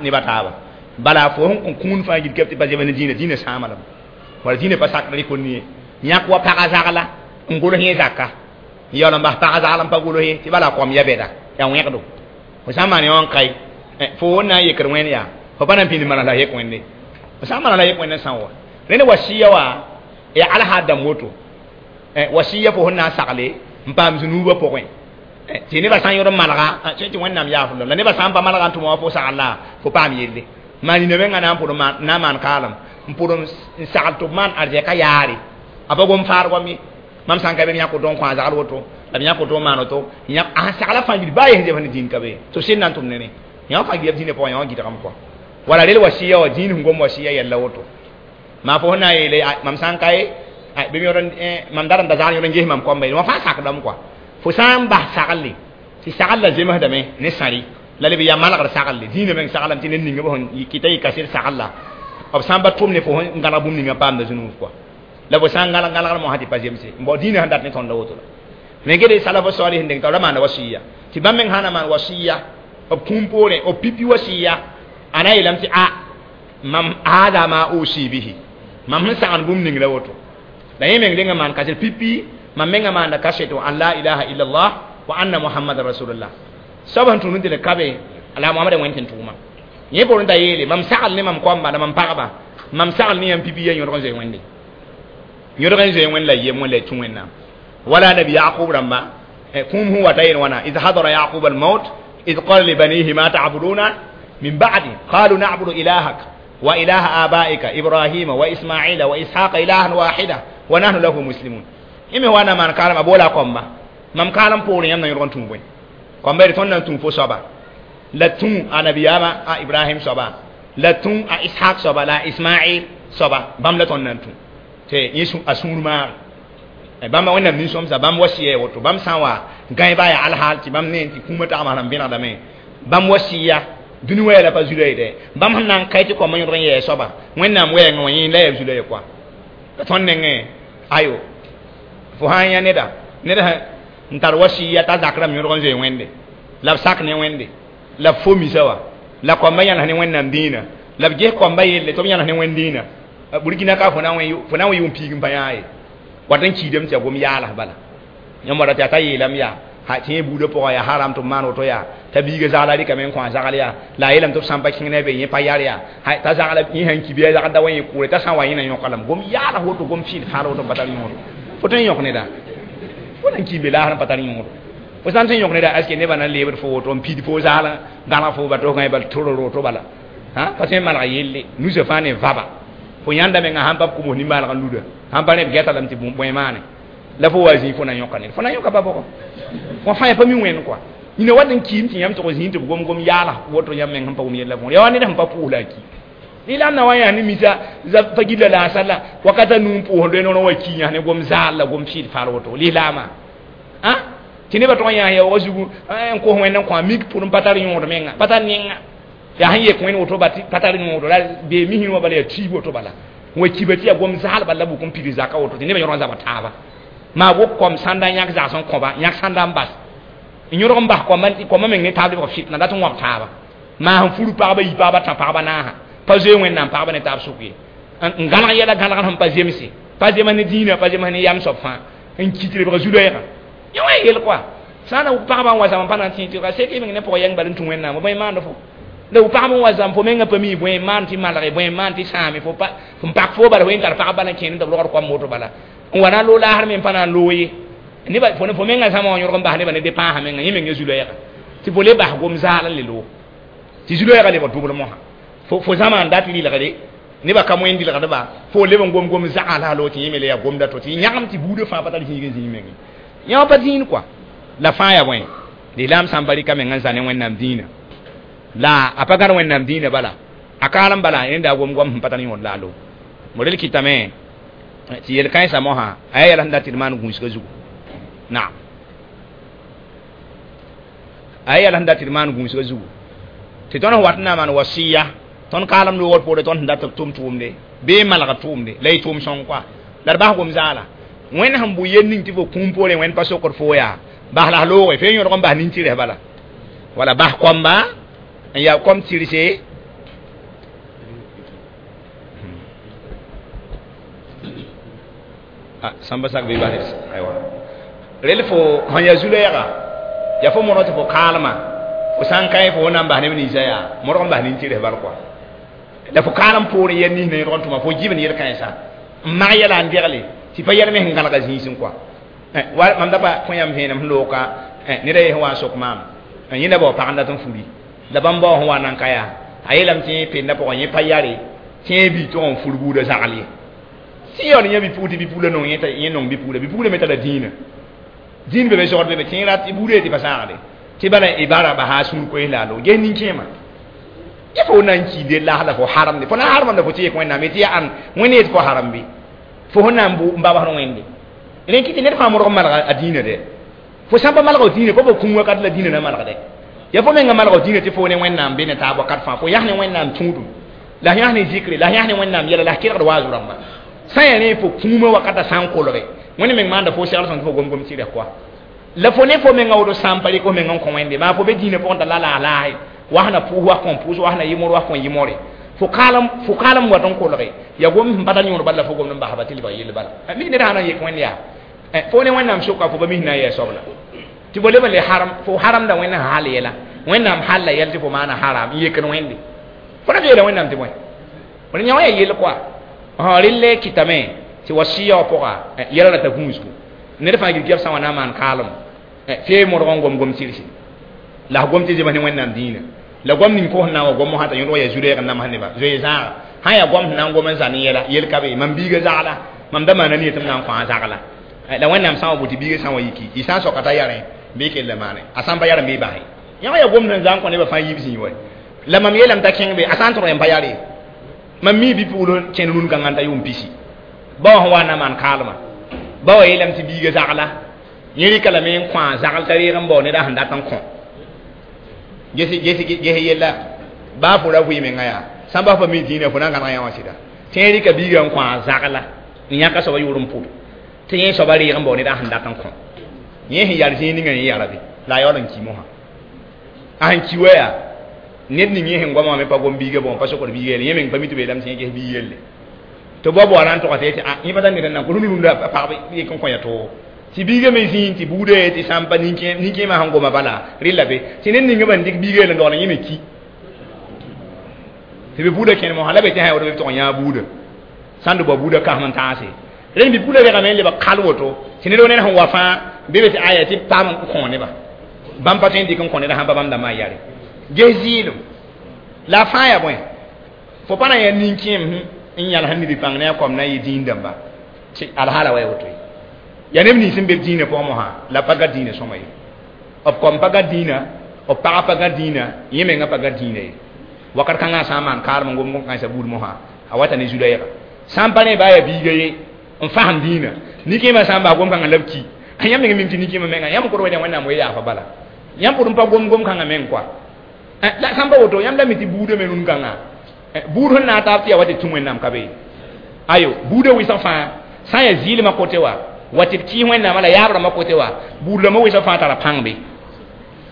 nebã taaba bala fo sẽn kõ kũun fãa gil kɛb tɩ pa zems ne dĩinã dĩinã sãama lame wala dĩinã pa sakd rɩk ye yãk wa pagã zagla n gʋls yẽ zaka n yaool n bas pagã zagl n pa gʋls ye tɩ bala kom ya bɛda yaa wẽgdo fo sã n maan yã n kae fo n na n yekd wẽnd yaa fo pa na n pĩnd manas la yek wẽnde fo sã n manas la yek wẽnd n sã wa rẽnd wasiya wa yaa alhaad dãmb woto wasiya fo sẽn na n sagle n paam zũnuubã pʋgẽ tɩ nebã sã n yõd n malga tɩ wẽnnaam yaafl la nebã sã n pa malga n tʋma wã fo sagl la fo paam yelle maan nina mengã na n pʋd na n maan kaalem n pʋd n sagl tɩ b maan arzɛka yaare a pa gom faar goam ye mam sã n ka be b yãk woto n kõ a zagl woto la b yãk woto n maan woto a sagla fãa gil baa yes zems ne dĩin ka be tɩ b sɩd na n tʋm ne rẽ yã wã fãa gil b dĩinã pʋgẽ yã wã gɩdgame kɔa wala rel wasiya wa dĩin sẽn gom wasiya yɛlla woto maa fo sẽn na n yeele mam sã n ka ye bɩ yõd mam dar n da zagl yõd n ges mam kõmba wã fãa sakdame kɔa fo sã n bas sagle tɩ sagl la zemsdame ne sãri la leb yaa malgr sagle dĩinã meng saglame tɩ ned ninga b sẽn kɩta yɩ kaset sagl la b sã n pa tʋm ne fo sẽn gãlg bũmb ninga paamda zũnuuf kɔa la fo sã n gãlg gãlgr mosã tɩ pa zemse n bao dĩinã sẽn dat ne tõnd woto la me gede salaf salih n deng t'a ra maanda wasiya tɩ bãmb meng sã na maan wasiya b kũum poorẽ b pipi wasiya a na yeelame tɩ a mam hada ma usi bihi mam sẽn sagn bũmb ning la woto la yẽ meng dengã maan kaset pipi mam mengã maanda kaseto an la ilaha illallah wa anna muhammadan rasulullah soab sẽn tũud n tɩ d kabe la mohamad wẽnd tɩ n tʋʋma yẽ poorẽ t'a yeele mam sagl ne mam koamba la mam pagba mam sagl ne yãmb pipi ya yõdg n zoe wẽnde yõdg n zoe wẽnd la yem wẽnd la y tũ wẽnnaam wala nabi yaqub rãmba kũum sẽn wata yel wãna id hadara yaqub almaut id qala libanihi ma ta'buduna min ba'di qalu na'budu ilahak wa ilaha abaika ibrahima wa ismaila wa ishaqa ilahan wahida wa nahnu lahu muslimun ime wana man kalam abola komba mam kalam poorẽ yãmb na yõdg n tũ bõe kõmba d tõnd na n tũ fo soaba la tũ a nabiyama a ibrahim soaba la tũ a ishaq soaba la a ismail soaba bãmb la tõnd na n tũ tɩ yẽ a sũur maag bãmba wẽnnaam nin-sõmsa bãmb wasiya woto bãmb sã n wa gãe baa yaa alhaal tɩ bãmb ne tɩ kũumã tagmã sẽn vẽnegdame bãmb wasiya dũni wɛɛ la pa zulã ye dɛ bãmb sẽn na n kae tɩ kõmbã yõdg n yɛɛ soaba wẽnnaam wɛɛngã wã yẽ la yaa zulã ye koa la tõnd nengẽ ayo fo sã n yã neda ned n tar wasiya t'a zak rãmb yõdg n zoe wẽnde la b sak ne wẽnde la b fo misa wa la kõmbã yãnes ne wẽnnaam dĩinã la b ges kõmbã yelle tɩ b yãnes ne wẽnd dĩinã burkina ka fo na n wa yʋʋm piig n pa yãa ye wat n kiidame tɩ yaa gom yaalas bala yãmb wara tɩ yaa t'a yeelame yaa tɩ yẽ buudã pʋgã yaa haram tɩ b maan woto yaa t'a biiga zagla rɩkame n kõ a zagl yaa la a yeelame tɩ b sã n pa kẽng ne a be yẽ pa yar yaa t'a zagla yẽ sãn ki bɩ a zagl da wa yẽ kʋʋre t'a sã n wa yẽ na yõka lame gom yaalas woto gom fɩɩl fãal woto n pa tar yõodo fo tõe n yõk neda fo na n kii be laasr n pa tar yõodo fo sã n tõe n yõk neda aske nebã na n leebd fo woto n pid fo zagl gãlg fo ba tosgã bal toror woto bala pa tõe n maneg yelle nusã fãa ne vaba fo yãnda menga sãn pa b kʋms nimbãaneg n luda sãn pa rẽ b gɛta lame tɩ bõe maane la fo wa zĩig fo na yõka ned fo na yõka pa bʋgɔ wã fãa yaa pa mi wẽnd kɔa Ina wat n kiim tɩ yãmb tɩg zĩig tɩ b gom-gom yaala woto yãmb meng sẽn pa wʋm yella võor ya wa ned sẽn pa pʋʋs la a ki lislaam na wa yãs ne misa pa gilla la a sala wakata nuu n pʋʋs loe noor wa ki yãs ne gom zaal la gom fɩɩd faal woto lislaamã a tɩ nebã tʋg n yãs yaoogã zugu n kos wẽnd n kõ a mik pʋr n pa tar yõod menga pa tar nenga yaa sẽn yek wẽnd woto pa tar yõodo la bee misẽ wã bala yaa tiib woto bala wa kiba tɩ yaa gom zaal bala la bʋk n pid zaka woto tɩ nebã yõrg n zaba taaba maa wok kom sãnda yãk zags n kõba yãk sãnda n bas n yõrg n bas kõma meng ne taab lebg fitna dat n wãb taaba maa sẽn furu pagba yi pagba tã pagba naasa pa zoe wẽnnaam pagba ne taab sʋk ye n gãlg yɛla gãlgr sẽn pa zemse pa zems ne dĩinã pa zems ne yam soab fãa n kit lebg zu-loɛɛgã yẽ wã yel koa sã n na pagba n wa zãm n pa na n tẽ tɩ sek y meng ne pʋgã yɛng bal n tũ wẽnnaam bõe maand fo la pagb n wa zãm fo mengã pa mi bõe maan tɩ malge bõe maan tɩ sãame fo n pak fo bala fo yẽ tar pagb bala n kẽend tɩ b logd koam woto bala n wa na n loog laasr me n pa na n loog ye neba fo menga zãma wã yõrg n bas nebã ne depãasã menga yẽ meng zu-loɛɛga tɩ fo le bas gom zaal n le loog tɩ zu-loɛɛga lebg dʋbl mosã fo zãma n dat rɩlgde nebã ka moẽn dɩlgdba fo leb n gom-gom zagã la a loog tɩ yẽ me le yaa gomda to tɩ yãgem tɩ buudã fãa pa tar zĩig n zĩig menge yã wã pa zĩnd kɔa la fãa yaa bõe lislaam sã n pa rɩka meng n zã ne wẽnnaam dĩinã la a pa gãd wẽnnaam dĩinã bala a kaalem bala rẽnda a gom-gom sẽn pa tar yõod la a loog mo rel kɩtame tɩ yel-kãensã mosã a yaa yɛl sẽn dat tɩ d maan gũusgã zugu naam a yaa yɛl sẽn dat tɩ d maan gũusgã zugu tɩ tõnd sẽn wat n na n maan wasiya tõnd kaalem loogr poore tõnd sẽn dat tɩ b tʋm tʋʋmde bee malg tʋʋmde la y tʋʋm sõng koa la d bas gom zaala wẽnd sẽn bʋ yel ning tɩ fo kũum poorẽ wẽnd pa sokd fo yaa bas la s looge fo yõdg n bas nin-tɩrs bala wala bas kõmba n yaa kom tɩrse sãmba sak bɩ bas aywa rel fo sẽn yaa zu-loɛɛga yaa fo modg tɩ fo kaalma fo sã n ka fo na n bas neb ninsã yaa modg n bas nin-tɩrs bal kɔa la fo kaalem poorẽ yɛl nins na yõdg n tʋma fo gibn yel-kãensã n mag yɛla n degle tɩ pa yɛl me sẽn gãlga zĩisẽ kɔa mam da pa kõ yãmb vẽenem sẽn looka ned a ye sẽn wa n sok maam yẽ la bao pag n dat n furi la bãmb bao sẽn wa n nan ka yaa a yeelame tɩ yẽ penda pʋgẽ yẽ pa yare tɩ yẽ bi tʋg n fur buudã zagl ye tɩ yaool yã bi-pugl tɩ bi-pugla nong yẽ nong bi-pugla bi-pugla me tara dĩinã dĩin be be zogd be be tɩ yẽ rat buudã ye tɩ pa sãagde tɩ bala y bara basa a sũur koes la a loog ges nin-kẽema ya fo na n kiinde laas la fo haramde fo na n harmam la fo tɩ yek wẽnnaam tɩ yaa ãn wẽnd yet fo haram bɩ fo sẽn na n babsd wẽnde rẽ kɩ tɩ ned fãa modg n malga a dĩinã dɛ fo sã n pa malg f dĩinã fo kũum wakat la dĩinã na malgdɛ ya fo menga malg dĩinã tɩ fo ne wẽnnaam be ne taab wakat fãa fo yas ne wẽnnaam tũudum la yas ne zikre la yas ne wẽnnaam yɛla la s kelgd waaz rãmba sã n yaa rẽ fo kũumã wakata sã n kolge wẽnd meng maanda fo segl sõm tɩ fo gom-gom tɩrɛ koa la fo ne fo menga woto sã n pa rɩk fo meng n kõ wẽnde maa fo be dĩinã pʋgẽ t'a la laas laase was na pʋʋs was kõn pʋʋs was na yɩmor was kõn yɩmore fo kaalem wat n kolge ya gom sẽn pa tar yõod bala la fo gomd n basba tɩ lebg yell bala mi ned sã na n yek wẽnd yaa fo ne wẽnnaam soka fo pa mis na n yɛɛ soabla tɩ fo leb n le haram fo haramda wẽnd sẽn hal yɛla wẽnnaam halla yɛl tɩ fo maana haram n yekd wẽnde fo na yeela wẽnnaam tɩ bõe fo yã wã yaa yell koa relle kɩtame tɩ wasiya wã pʋga yɛla rata gũusgu ned fãa gil sã wã na n maan kaalem fee modg n gom-gom tɩrse la s gom tɩ zems ne wẽnnaam dĩinã la gom ning fo sẽn na n wa gom mosã t'a yõdg yaa zu-loɛɛg n namsd neba zoe zãaga sã n yaa gom sẽn na n gom n zã ne yɛla yel ka be mam biiga zagla mam da maana nie tɩ m na n kõ a zagla la wẽnnaam sã n wa bʋ tɩ biiga sã n wa yiki y sã n soka t'a yarẽ bɩ kell maane a sã n pa yarẽ bɩ base yã wã yaa gom sẽn zã n kõ nebã fãa yiib zĩig wa la mam yeelame t'a kẽng be a sã n tõg yẽm pa yare mam mi bi-pugl kẽnd rũn-kãngã t'a yʋʋm pisi bao sẽn wa n na maan kaalmã ba wa yeelame tɩ biiga zagla yẽ rɩka lame n kõ a zagl t'a reeg n bao neda sẽn dat n kõ ges yella baa fo ra vɩ menga yaa sã n bas pa mi dĩinã fo na n gãneg yã wã sɩda tɩ yẽ rɩka biiga n kõ a zagla n yãka soaba yʋʋr n pʋd tɩ yẽ soaba reeg n bao neda sẽn dat n kõ yẽ sẽn yar zĩig ninga yẽ yara be la a yaool n ki mosã a sẽn ki wa yaa ned ning yẽ sẽn goama wã me pa gom biiga bõ pa sokd biiga yelle yẽ meng pa mi tɩ b yeelame tɩ yẽ ges biig yelle tɩ bao bao ra n togsa tɩ yẽ pa tar ned n na n kos rũnd-rũndã pagb yek n kõ ya toogo tɩ biiga me zĩig tɩ buudã ye tɩ sã n pa nin-kẽemã sẽn goma bala rɩla be tɩ ned ninga ban dɩk biiga yell n dogl yẽ me ki tɩ bɩ buudã kẽnd mosã la be tɩ sã ya woto bɩ tʋg n yãag buudã sã n d bao buudã kãsem n tãase rẽnd bɩ buudã regame n lebg kal woto tɩ ned ned sẽn wa fãa bɩ be tɩ aya tɩ paam n kõ neba bãmb pa tõe n dɩk n kõ neda sãn pa bãmb dãmbã n yare ges zɩɩlem la a fãa yaa bõe fo pa na n yaa nin-kẽem n yãls n nid pãng ne a kom na n yɩ dĩin dãmba tɩ alhaala wa ya woto ye yaa neb nins n be b dĩinã pʋgẽ mosã la pa ga dĩinã sõma ye B kom pa gã dĩinã, b pagã pa gã dĩinã, yẽ menga pa gã dĩinã ye. Wakat kãngã sã n maan kaarem n gom gom-kãensã buud mosã, a wata ne zu-loɛɛga. Sã n pa ne baa yaa biiga ye n fasem dĩinã, nin-kẽemã sã n bas gom-kãngã la b ki, a yãmb meng mim tɩ nin-kẽemã menga yãmb kod wẽnde Wẽnnaam wee yaafa bala. Yãmb pʋd n pa gom gom-kãngã meng koa. La sã n pa woto, yãmb la mi tɩ buudã me rũn-kãngã buud sẽn na n taab tɩ yaa wa tɩ tũ Wẽnnaam ka be. Ayo, buudã wɩsg fãa sã n yaa zɩɩlmã kote wa, wa tɩ d kɩɩs Wẽnnaamã la yaab rãmbã kote wa, buud rãmbã wɩsg fãa tara pãng be.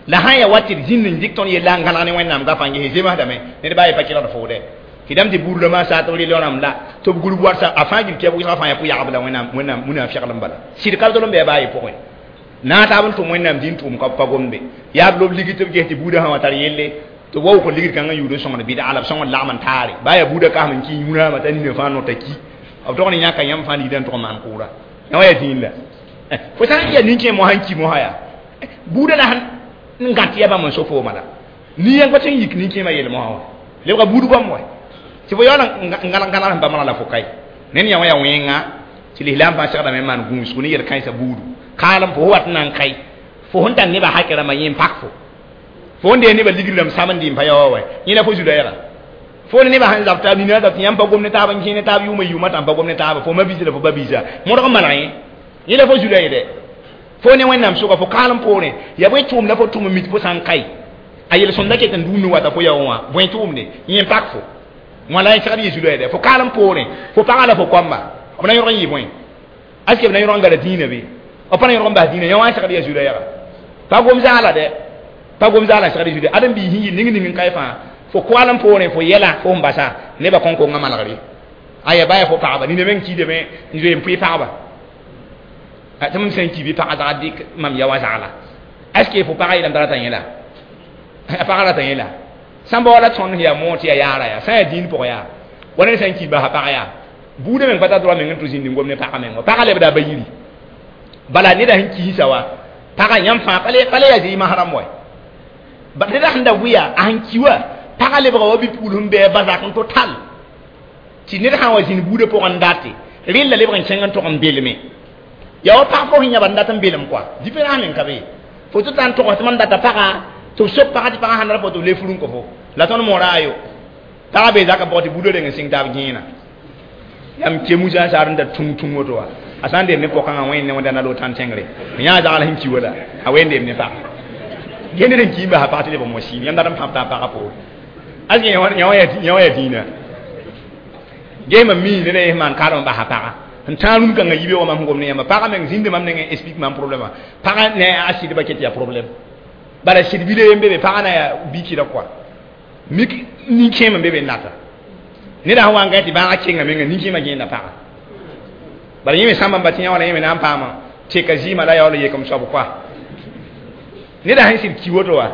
La sã n yaa wa tɩ d zĩnd n dɩk tõnd yella n gãneg ne Wẽnnaam gafã n ges zemsdame, ned baa ye pa kelgd foode. Tɩ dãmb tɩ buud rãmbã saat b rel rãmb la tɩ b gurb warsa a fãa gil kɛb wɩsga fãa yaa pʋ-yagb la Wẽnnaam Wẽnnaam munafɩglem bala. Sɩd ka tol n bɩ baa ye pʋgẽ. Na taab n tʋm Wẽnnaam dĩn tʋʋm ka pa gomde. Yaa b lob ligd tɩ b ges tɩ buudã sã wa tar yelle tɩ wa wʋk ligd kãngã yʋʋd n sõngd bɩdga la b sõngd lagm n taare. Baa yaa buudã kasem n kɩ yũnaamã t'a nina fãa nota ki. B tog ne yãka yãmb fãa ligdã n tʋg n maan kʋʋra. Yã wa yaa dĩin la. Fo sã n yaa nin-kẽem mosã n ki mosã yaa buudã la sẽn n gãt yaa bãmb n so fooma la. Nin-yãng pa tõe n yik nin-kẽemã yell mosã wa. Lebga buud goam wa. Tɩ fo yaool n gãneg gãneg sẽn pa maneg la fo kae. Ned yã wã yaa wẽnga tɩ lislaam fãa segdame n maan gũusgo ne yel-kãensã buudu. Kaalem fo wat n na n kae. Fo sẽn tar nebã hakẽ rãmbã yẽ n pak fo. Fo n dee nebã ligd rãmb samd n pa yaoa wa. Yẽ la fo zu-loɛɛga. Fo ne nebã sẽn zab taab nina zab tɩ yãmb pa gom ne taab n kẽ ne taab yʋʋmã yʋʋmã tã n pa gom ne taaba, fo ma-biisã la fo ba-biisã. Modg n maneg yẽ. Yẽ la fo zu-loɛɛg dɛ. Fo ne Wẽnnaam sʋka fo kaalem poorẽ. Yaa bõe tʋʋmda fo tʋm n mit fo sã n kae. A yel-sõmda ket n dũni wata fo yaoɔ wã, bõe tʋʋmde yẽ n pak fo. Wã la y segd yɩ zu-loɛɛdɛ. Fo kaalem poorẽ, fo pagã la fo koamba, b na yõg n yɩ bõe? Aske b na yõg n gara dĩinã be? B pa na yõg n bas dĩinã, yã wã n segd yaa zu-loɛɛga. Pa gom zaala dɛ. Pa gom zaala n segd zu-loɛɛga. Ãdem-biis sẽn yɩ ning ning n kae fãa, fo koalem poorẽ, fo yɛla, fo sẽn basa, nebã kõn-kongã malgre. Aya baa yaa fo pagba, nina meng kiidame n zoe n pʋɩ pagba. Tɩ mam sã n ki bɩ pagã zagd dɩk mam ya wã zagla. Est ce que fo pagã yeelame t'a rata yẽ la? A pagã rata yẽ la? Sã n bao la tõnd yaa moor tɩ yaa yaara yaa, sã n yaa dĩin pʋgẽ yaa, wa ned sã n ki basa pag yaa, buudã meng pa tar droit meng n tʋ zĩnd n gom ne pagã meng wa. Pagã lebda a ba yiri. Bala neda sẽn kiisa wa, pagã yãmb fãa pa le yaa zɩɩmã rãmb wa. Neda sẽn da wɩa, a sẽn ki wa, pagã lebga wa bi-pugl sẽn bɩ a ba zak n total. Tɩ ned sã n wa zĩnd buudã pʋgẽ n date, rella lebg n kẽng n tog n belme. Yaa wa pag fo sẽn yãb n dat n belem koa. Différence meng ka be. Fo tɩ ta n togs tɩ mam data pagã, tɩ b sok pagã tɩ pagã sãn dat fo tɩ b le furu n kõ fo. La tõnd moora ayo. Pagã bee zakã pʋgẽ tɩ buudã reng n sɩng taab gẽena. Yãmb kemusã saar n da tung tung woto wa. A sã n deem ne pɔkãngã wẽnd ne wẽnda na lo tãn tẽngre. Yã zagl sẽn ki wala, a wẽnd deem ne pagã. Gẽ ned n ki n basa pag tɩ leb n mo siim. Yãmb dat n pãb t'a pagã poore. Aske yã wã yaa dĩinã. Gesmã mii ned a yen maan kaarem n basa pagã. N tãag rũm-kãngã yibe wã mam sẽn gom ne yãmba. Pagã meng zĩnde mam nengẽ explique mam problème. Pagã ne a sɩdbã ket yaa problème. Bala sɩd bile n be be pagã na yaa bikɩra koa. Mik nin-kẽem n be be n data. Neda sẽn wa n gã tɩ bãagã kenga menga nin-kẽemã gẽenda pagã. Bala yẽ me sãmba n ba tɩ yã wala yẽ me na n paama teka zɩɩmã la yaool n yek m soab koa. Neda sẽn sɩd ki woto wa,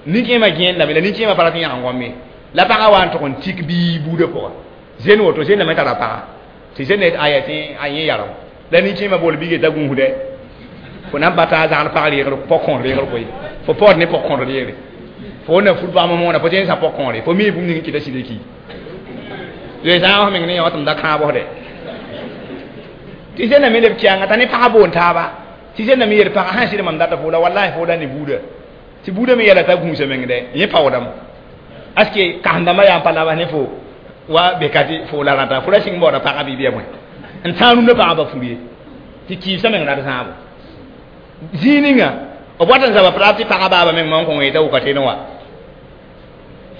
nin-kẽemã gẽendame la nin-kẽemã pa rat n yãg n gõme. La pagã wa n tʋg n tik bii buudã pʋga. Zen woto, zennã me tara pagã. Tɩ zennã aya tɩ a yẽ yarem. La nin-kẽemã bool bɩ geta gũusdɛ. Fo na n bata a zagl pag reegr pɔg-kõor reegr koe. Fo paood ne pɔg-kõor reegre. Fo na fur paam moona, fo tõe n sã pɔg-kõore. Fo mi bũmb ning n kɩta sɩd ki. Zoe sã n meng ne yã tɩ m da kãabsde. Tɩ zennã me leb kɛanga t'a ne pagã boon taaba. Tɩ zennã me yel pagã sã n sɩd mam data fo la wallahi fo la ne buudã. Tɩ buudã me yɛla t'a gũusa meng dɛ, yẽ paoodame. Aske kãsem-dãmbã yaa n pa labs ne fo wa beka tɩ fo la rãta, fo ra sɩng baooda pagã bɩ bɩa bõe. N tãag rũndã pagã ba fur ye. Tɩ kɩɩsã meng rat sãabo. Zĩig ninga, b wat n zaba praab tɩ pagã baaba meng man kõng yeta wʋka tẽn wa.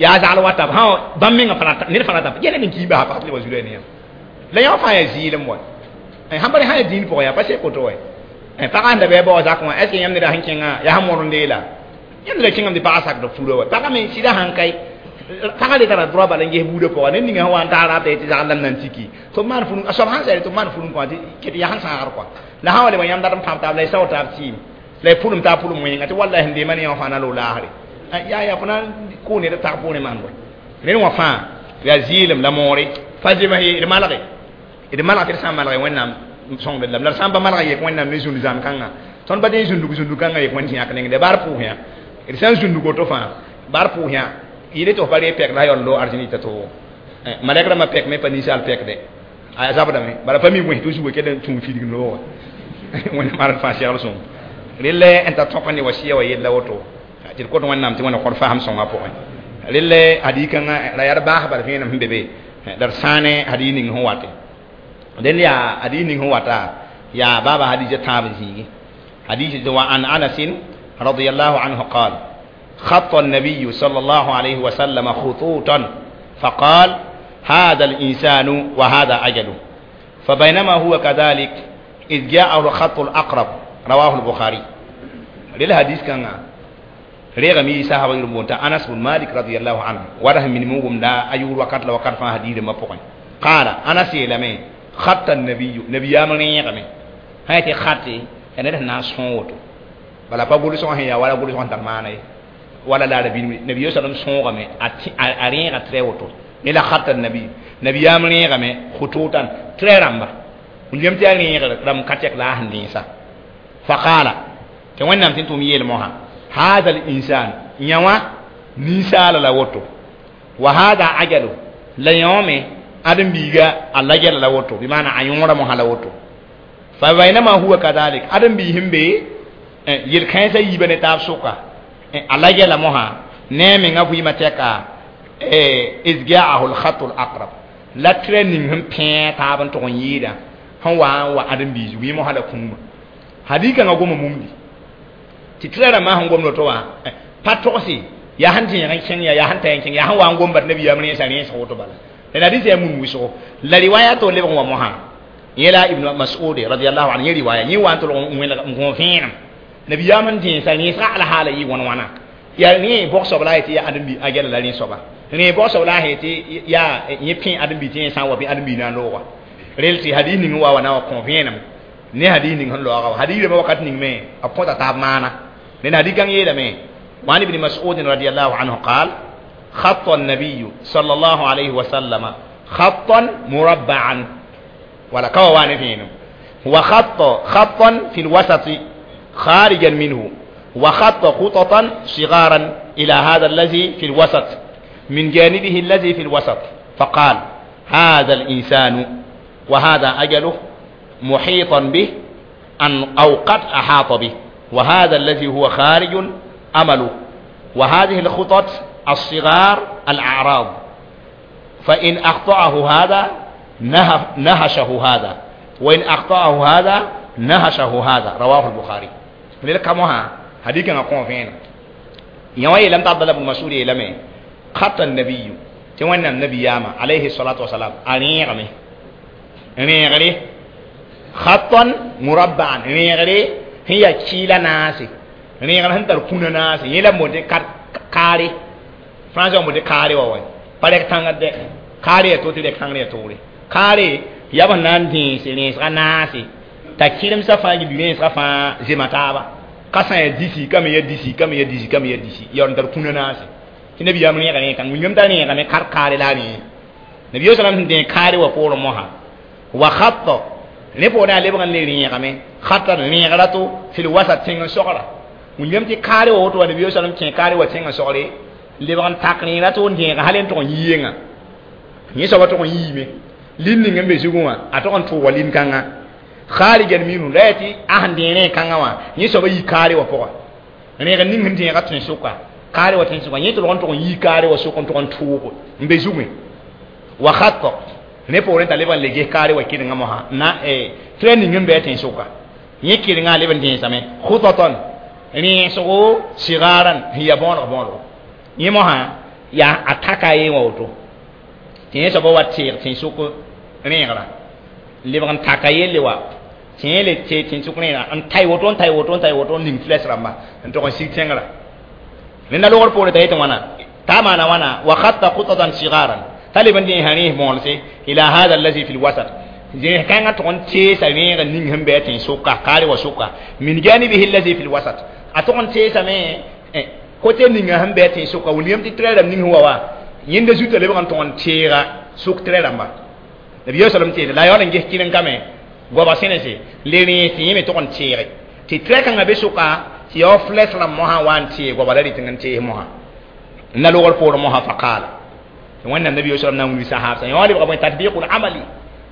Yaa zagl wata b sã bãmb menga ned fãa rata yẽl n kii basa pag tɩ lebg zu-loɛɛg ne yãmb. La yã fãa yaa zɩɩlem wa. Sãn pa sã yaa dĩin pʋgẽ yaa pa sek woto wa. Pagã sẽn da bɩ a bao zakẽ wã, est ce que yãmb neda sẽn kẽngã yaa sẽn mõr n deela? Yãmb neda kẽngame tɩ pagã sakd furã wa. Pagã me sɩda sãn kae, pagã le tara droit bala n ges buudã pʋga. Ned ninga sẽn wa n taag raab tɩ zagl lam na n tiki. Tɩ b maan furu, a soab sãn sɛɛre tɩ b maan furu kõ tɩ ket yaa sẽn sãagr koa. La sã wa lebg yãmb dat n pãb taab la y sao taab tɩɩm. La y pʋlem taab pʋlem wẽnga tɩ wallahi n deema ne yã fãa na loog laasre. Yaa yaa fo na n kʋʋ ned tag poorẽ maan bõe. Ned wã fãa yaa zɩɩlem la moore. Pa zems ye, d malge. D malg tɩ d sã n malge Wẽnnaam sõngd lam. La d sã n pa malg yek Wẽnnaam ne zũnd zãm kãngã. Tõnd pa tɩ zũndug zũndug kãngã yek Wẽnd yãk nengde baar pʋʋs yã. D sã n zũndug woto fãa, baar pʋʋs yã, yɩle tɩ f pa reeg pɛk la yaool loog arzẽn yita to. Malɛk rãmbã pɛk me pa ninsaal pɛk dɛ. A zabdame. Bala pa mi wẽs tɩ zuga kell n tũu fidg loogã. Wẽnnaam ãd fãa segl sõng. Relle n ta tõk ne wasiya wa yella woto tɩ d kot Wẽnnaam tɩ Wẽnna kõd fasem sõnga pʋgẽ. Relle hadikãngã la yaa d baas bal vẽenem sẽn be be la d sãane hadis ning sẽn wate. Dẽnd yaa hadis ning sẽn wata yaa baaba hadis tãab zĩigi. Hadis wa an Anas radiyallahu anhu قال خط النبي صلى الله عليه وسلم خطوطا فقال هذا الإنسان وهذا أجله فبينما هو كذلك إذ جاءه الخط الأقرب. رواه البخاري. للحديث كان ريغمي صحابه يرمون أنس بن مالك رضي الله عنه وره من موغم دا أيور وقت لا وقت فان حديث ما بقين. قال أنس يلمي خط النبي نبي يامن يغمي هاي خطي أنا ناس هون بلا با سون هي ولا غول سون تمانه ولا لا نبي نبي صلى الله عليه وسلم أرين غتري إلى خط النبي نبي يامن يغمي خطوطا تري رمبا وليم تاني رم كاتيك لا هنديسا. فقال توانا تنتم يلموها هذا الإنسان يوا نسال لا وتو وهذا أجله لا يوم أدم بيجا الله جل لا وتو بمعنى أيورا مهلا وتو فبينما هو كذلك أدم بيهم بي يلكنسا يبني تاب سوكا الله جل مها نعم غفي ما تكا إذ جاءه الخط الأقرب لا ترنين هم بين تابن تغنيدا هو وأدم بيجي ويمو هذا كوما hadika nga goma mumdi ti trera ma han gomno to wa patosi ya han tin yan ken ya ya han tan ken ya han wa gombar nabi ya mun sani sa woto bala la hadisi ya mun wiso la riwaya to le wa moha yela Ibn Mas'ud radiyallahu anhu riwaya ni wa to ngon fin nabi ya mun tin sani sa ala hala yi won wana ya ni bokso bala ti ya adam bi agela la ni soba ni bokso bala he ti ya ni pin adam bi tin sa wa bi adam bi na lo wa relti hadisi ni wa wa na wa konfin ne hadith ning hon loaga hadith ma wakat ning me a kota tab mana ne hadith kan yela me وعن ابن مسعود رضي الله عنه قال خط النبي صلى الله عليه وسلم خطا مربعا ولا كوان فينه وخط خطا في الوسط خارجا منه وخط خططا صغارا إلى هذا الذي في الوسط من جانبه الذي في الوسط فقال هذا الإنسان وهذا أجله محيطا به أن أو قد أحاط به وهذا الذي هو خارج أمله وهذه الخطط الصغار الأعراض فإن أخطأه هذا نهشه هذا وإن أخطأه هذا نهشه هذا. رواه البخاري. لذلك كمها حديث نقوم فينا يوم لم تعبد ابن مسعود لم خط النبي توانا النبي ياما عليه الصلاة والسلام أنيغمي أنيغري خطا مربعا نيغري هي كيلا ناسي نيغري هنتر كونا ناسي يلا مودي كاري فرانسا مودي كاري واوي بالك تانغ دي كاري توتي دي كانغ توري كاري يابا نانتي سي نيسا ناسي تا كيلم سافا جي نيسا فا زيماتابا كاسان يديسي كام يديسي كام يديسي كام يديسي يونتر كونا ناسي نبي يام نيغري كان نيم تا نيغري كار كاري لا ني نبي صلى الله عليه وسلم كاري وقول موها وخط ne po na lebgan le rẽegame khata rẽegra to fil wasat tẽng n sogra wĩngyam tɩ kaare wa woto wa nabi sallam kẽ kaare wa tẽng n sogre lebg n tak rẽegra to n dẽega hal n tʋg n yienga yẽ soaba tʋg n yiime lin ning n be zugẽ wã a tʋg n tʋʋga lin-kãngã kharijan minhu la yaa tɩ a sẽn dẽeg rẽeg-kãngã wã yẽ soaba yi kaare wã pʋga rẽeg ning sẽn dẽega tẽn-sʋka kaare wa tẽn-sʋka yẽ tʋlg n tʋg n yi kaare wa sʋk n tʋg n tʋʋg n be zugẽ wa khatta ne poorẽ t'a leb n le ges kaare wa kɩrenga mosã na tɩ ning n bɩ a tẽn-sʋka yẽ kɩrengã leb n dẽesame khutatan rẽesgo sigaran sẽn yaa bõodg bõodgo yẽ mosã yaa a taka ye wã woto tɩ yẽ soaba wa teeg tẽn-sʋk rẽegra lebg n taka yelle wa tɩ yẽ le tee tẽn-sʋk rẽegra n tay woto n tay woto n tay woto n ning fles rãmba n tʋg n sig tẽngrã rẽnda logr poore t'a yetɩ wãna t'a maana wãna wa khatta khutatan sigaran طالبا دي هنيه مولسي الى هذا الذي في الوسط زي كان تون تي سمي نين هم بيتين سوكا قاري وسوكا من جانبه الذي في الوسط اتون تي سمي كوتي نين هم بيتين سوكا وليم تي تريدم نين هو وا يند زوت لبغان تون تيرا سوك تريدم با نبي صلى الله عليه وسلم لا يولن جه كينن كامي غوبا سينسي ليني سي مي تون تيري تي تريكان be suka ti yo fles la moha wan ti goba la ritin ti moha na logol por moha faqala wannan nabi sallallahu alaihi wasallam sahaba ya wali ba tatbiqul amali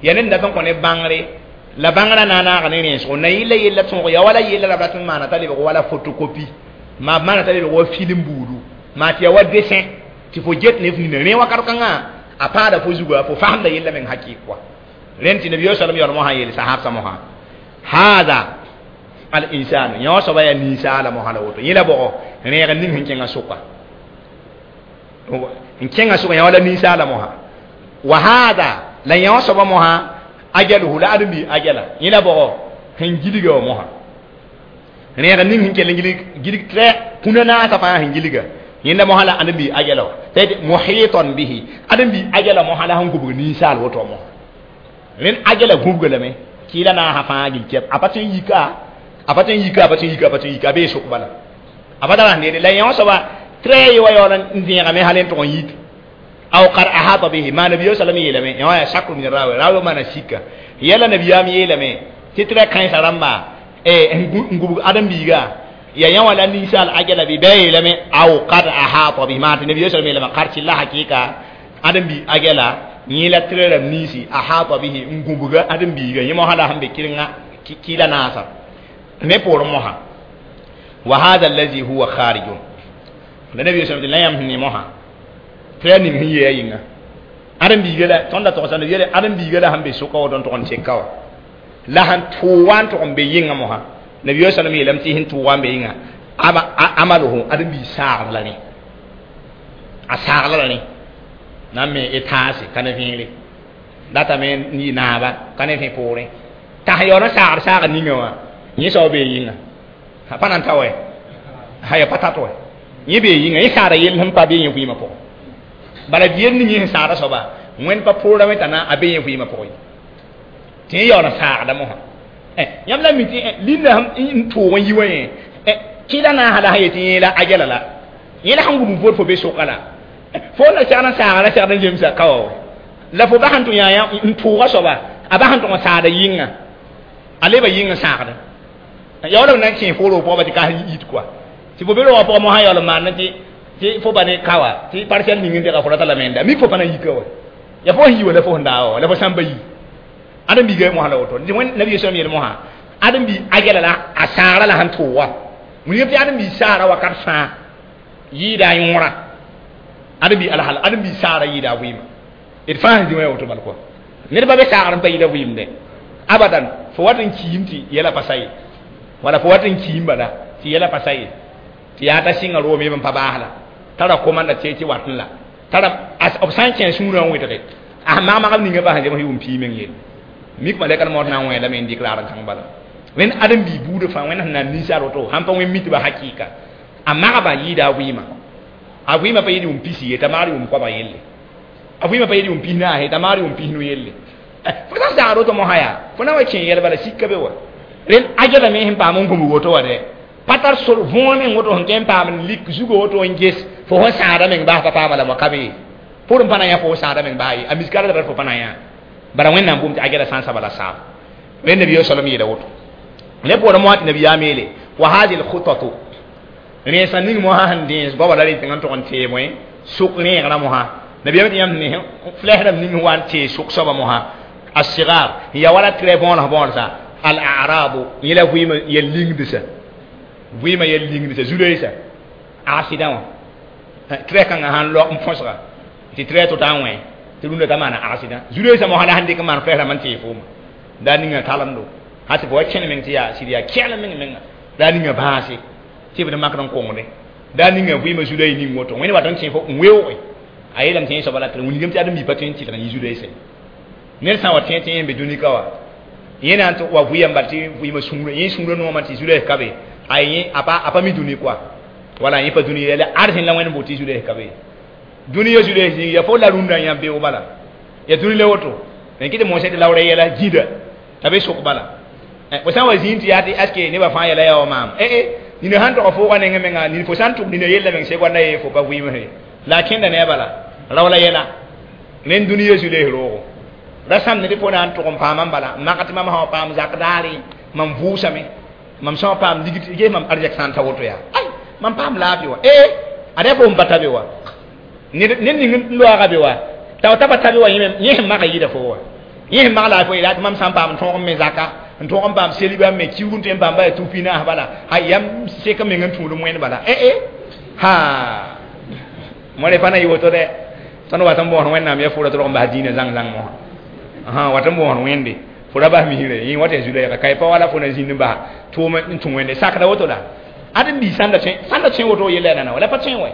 yanin da kan ko ne bangre La bãngrã na n naag ne rẽnsgo na yɩla yella tõog ya wala yella la b rat n maana t'a lebg wala photocopie maa b maana t'a lebg wa film buudu maa tɩ ya wa dessin tɩ fo get ne f nina rẽ wakat kãngã a paada fo zuga fo fasemda yella meng hakɩɩk kɔa rẽnd tɩ nabiya salam yaool mosã yeel sahabsã mosã haada al insanu yõ soaba yaa ninsaala mosã la woto yẽ la bʋgɔ rẽeg ning sẽn kẽngã sʋka n kẽngã sʋka yã wala ninsaala mosã wa haada la yõ soaba mosã ajaluhu la ãdem-bi ajala yẽ la bʋgɔ sẽn gilga wã mosã rẽeg ning sẽn kell n gilg tɩ kũna naasã fãa sẽn gilga yẽnda mosã la ãdem-bi ajala wã tɩ muhitan bihi ãdem-bi ajala mosã la sẽn gubg ninsaal woto mosã rẽnd ajala gubga lame kɩɩla naasã fãa gil kɛp a pa tõe n yika a pa tõe n yika a pa tõe n yika a pa tõe n yika a bee sʋk bala a pa tara sẽn deede la yõ soaba tɩ ye wa yaool n vẽegame hal n tʋg n yit aw qad ahata bihi ma nabiyo sallam yeelame yõ yaa shakru min rawi rawi maana sika yɛla nabiyaam yeelame tɩ tɩ kãensã rãmba n gubg ãdem-biiga ya yã wala ninsaal ajala bɩ bɩ a yeelame aw qad ahata bihi maa tɩ nabiyo sallam yeelame qad tɩ la hakɩɩka ãdem-bi ajala yẽ la tɩ rãmb ninsi ahata bihi n gubga ãdem-biiga yẽ mosã la sẽn be kɩrenga kɩɩla naasa ne poorẽ mosã wa hada allazi huwa kharijun la nabiyo sallam tɩ la yãmb sẽn ne mosã tɩ yaa ning sẽn yee a yĩnga ãdem-biiga la tõnd da togsã yeele ãdem-biiga la sẽn be sʋka woto n tʋg n teka wã la sẽn tʋʋg wã n tʋg n be yĩngã mosã nabiyo sallam yeelame tɩ sẽn tʋʋg wã n be yĩnga amaluhu ãdem-biig saagd la rẽ a saagla la rẽ na n me y taase ka ne vẽere datame n yɩ naaba ka ne vẽ poorẽ t'a sẽn yaool n saagd saagd ninga wã yẽ soab bee yĩnga a pa na n ta wɛ a ya pa tat wɛ yẽ bee yĩnga yẽ saada yell sẽn pa bee yẽ vɩɩmã pʋgẽ bala yel ning yẽ sẽn saada soaba wẽnd pa poorame t'a na a bee yẽ vɩɩmã pʋgẽ tɩ yẽ yaool n saagda mosã yãmb la mi tɩ linda n tʋʋg n yi wã yẽ kɩla naasã la sã yetɩ yẽ la ajala la yẽ la sẽn gub n vod fo be sʋka la fo la segd n saaga la segd n zemsa ka wa la fo bas n tʋ yã n tʋʋga soaba a bas n tʋg n saada yĩnga a leba yĩng n sãagda yaool b na n kẽ fo roog pʋgã tɩ ka yit kɔa tɩ fo be roogã pʋgã mosã yaool n maan tɩ fo ba ne ka wa tɩ parcelle ning n dega fo rata la menda mik fo pa na n yika wa ya fo sẽn yi wa la fo sẽn daa wa la fo sãn pa yi ãdem-biiga mosã la woto tɩ wẽnd nabiya sallam yeel mosã ãdem-bi ajala la a saagra la sẽn tʋʋga wilgame tɩ ãdem-bi saara wakat fãa yɩɩda a yõora ãdem-bi alhal ãdem-bi saara yɩɩda a vɩɩma d fãa sẽn zĩ wã ya woto bal kɔa ned pa be saagr n pa yɩɩda vɩɩmdɛ abadan fo wat n kiim tɩ yɛla pa sa ye wala fo wat n kiim bala tɩ yɛla pa sa ye tɩ yaa t'a sɩnga room yem n pa baas la tara komanda tɩ tɩ wat n la tara b sã n kẽ sũurã n wẽdge a mag-magb ninga bas n zems yʋʋm pii meng yelle mik malɛkd maood na n wẽe lame n dɩk raar n kãng bala wẽnd ãdem-bii buudã fãa wẽnd sẽn na n ninsaal woto sãn pa wẽn mitba hakɩɩka a magba yɩɩda a vɩɩmã a vɩɩmã pa yɩɩd yʋʋm pisi ye t'a magd yʋʋm koabg yelle a vɩɩmã pa yɩɩd yʋʋm pis naase t'a magd yʋʋm pisnu yelle fo sã n sagd woto mosã yaa fo na wa kẽ yɛl bala sika be wa rẽnd ajala me sẽn paam n gũbg woto wa dɛ pa tar sor võor meng woto sẽn tõe n paam n lik zugo woto n ges fo sẽn sãada meng baas pa paama la moa ka be pʋr n pa na yã fo sãada meng baa ye a miskara la fo pa na yã bara wẽnnaam bʋʋm tɩ ajala sã n saba la saab rẽnd nabiya salam yeela woto ne poorẽ moa tɩ nabiyaam yeele wa hadi lkhutatu rẽensã ning mosã sẽn dẽes goaba la rɩ tẽng n tʋg n tee bõe sʋk rẽegrã mosã nabiyaam tɩ yãmb ne flɛs rãmb ning wa n tee sʋk soaba mosã الصغار هي ولا تري بون بون سا الأعراض يلا فيما يلينغدسا فيما يلينغدسا زوليسا accident tɩ kãngã sãn lo n põsga tɩ tɩ tɩ t'a wẽ tɩ rũndã t'a maana accident zu-loeesã mosã la sẽn dɩk n maan fɛɛsrãmb n tee fooma daa ninga talemdo sã tɩ fo wa kẽne meng tɩ yaa sɩd yaa kɛglem meng menga daa ninga bãase tɩ b d makd n kongne daa ninga vɩɩmã zu-loees ning woto wẽnd wat n kẽ fo n weooge a yeelame tɩ yẽ soaba la tɩ wilgame tɩ ãdem-bi pa tõe n tɩlg n yɩ zu-loeesã ned sã n wa tẽ tɩ yẽ be dũnika wa yẽ na n tɩ wa vɩ yãmba tɩ vɩɩmã sũurã yẽ sũurã noomã tɩ zu-loees ka be a yẽ a pa mi dũni koa wala yẽ pa dũni yɛla arsẽ la wẽnd n boot tɩ zu-loees ka be dũni ya zu-loees yĩng ya fo la rũndã yã beoog bala ya dũni la woto n kɩ tɩ mosẽ tɩ laoora yɛla gĩda t'a be sʋk bala fo sã n wa zĩig tɩ yaa tɩ aske nebã fãa yɛla yaa wa maam ee nina sãn tog foogã nengẽ menga nin fo sã n tʋg nina yella meng segõnda ye fo pa vɩɩmse la a kẽnda ne a bala rao la yɛla rẽnd dũni zu-loees roogo ra sãmd tɩ fo na n tʋg n paamã n bala mak tɩ mam sã wa paam zak daare mam vʋʋsame mam sã wa paam ligd ges mam arzɛk sã n ta woto yaa ay mam paam laafɩ wa ee ada fo n pa ta be wa ned ning n loaaga be wa t'a ta pa ta be wa yẽ sẽn maka yɩɩda fo wa Yẽ magla fo yeela tɩ mam sã n paam n tõog n me zaka n tõog n paam seliba me kiuug n tõe n paam ba tupi naas bala a yam sek n meng n tũud n wẽnd bala eh ha mo re pa na yɩ woto dɛ tõnd wat n bõos wẽnnaam ya fʋra tɩ rog n bas dĩinã zãng zãng mosã wat n bõos wẽnde fo ra bas misre yẽ wat ya zu-lɛɛga ka pa wala fo na zĩnd n bas tʋʋm n tũ wẽnde sakda woto la ad n bii sãnda tõe woto yella nana wala pa tõe wɛ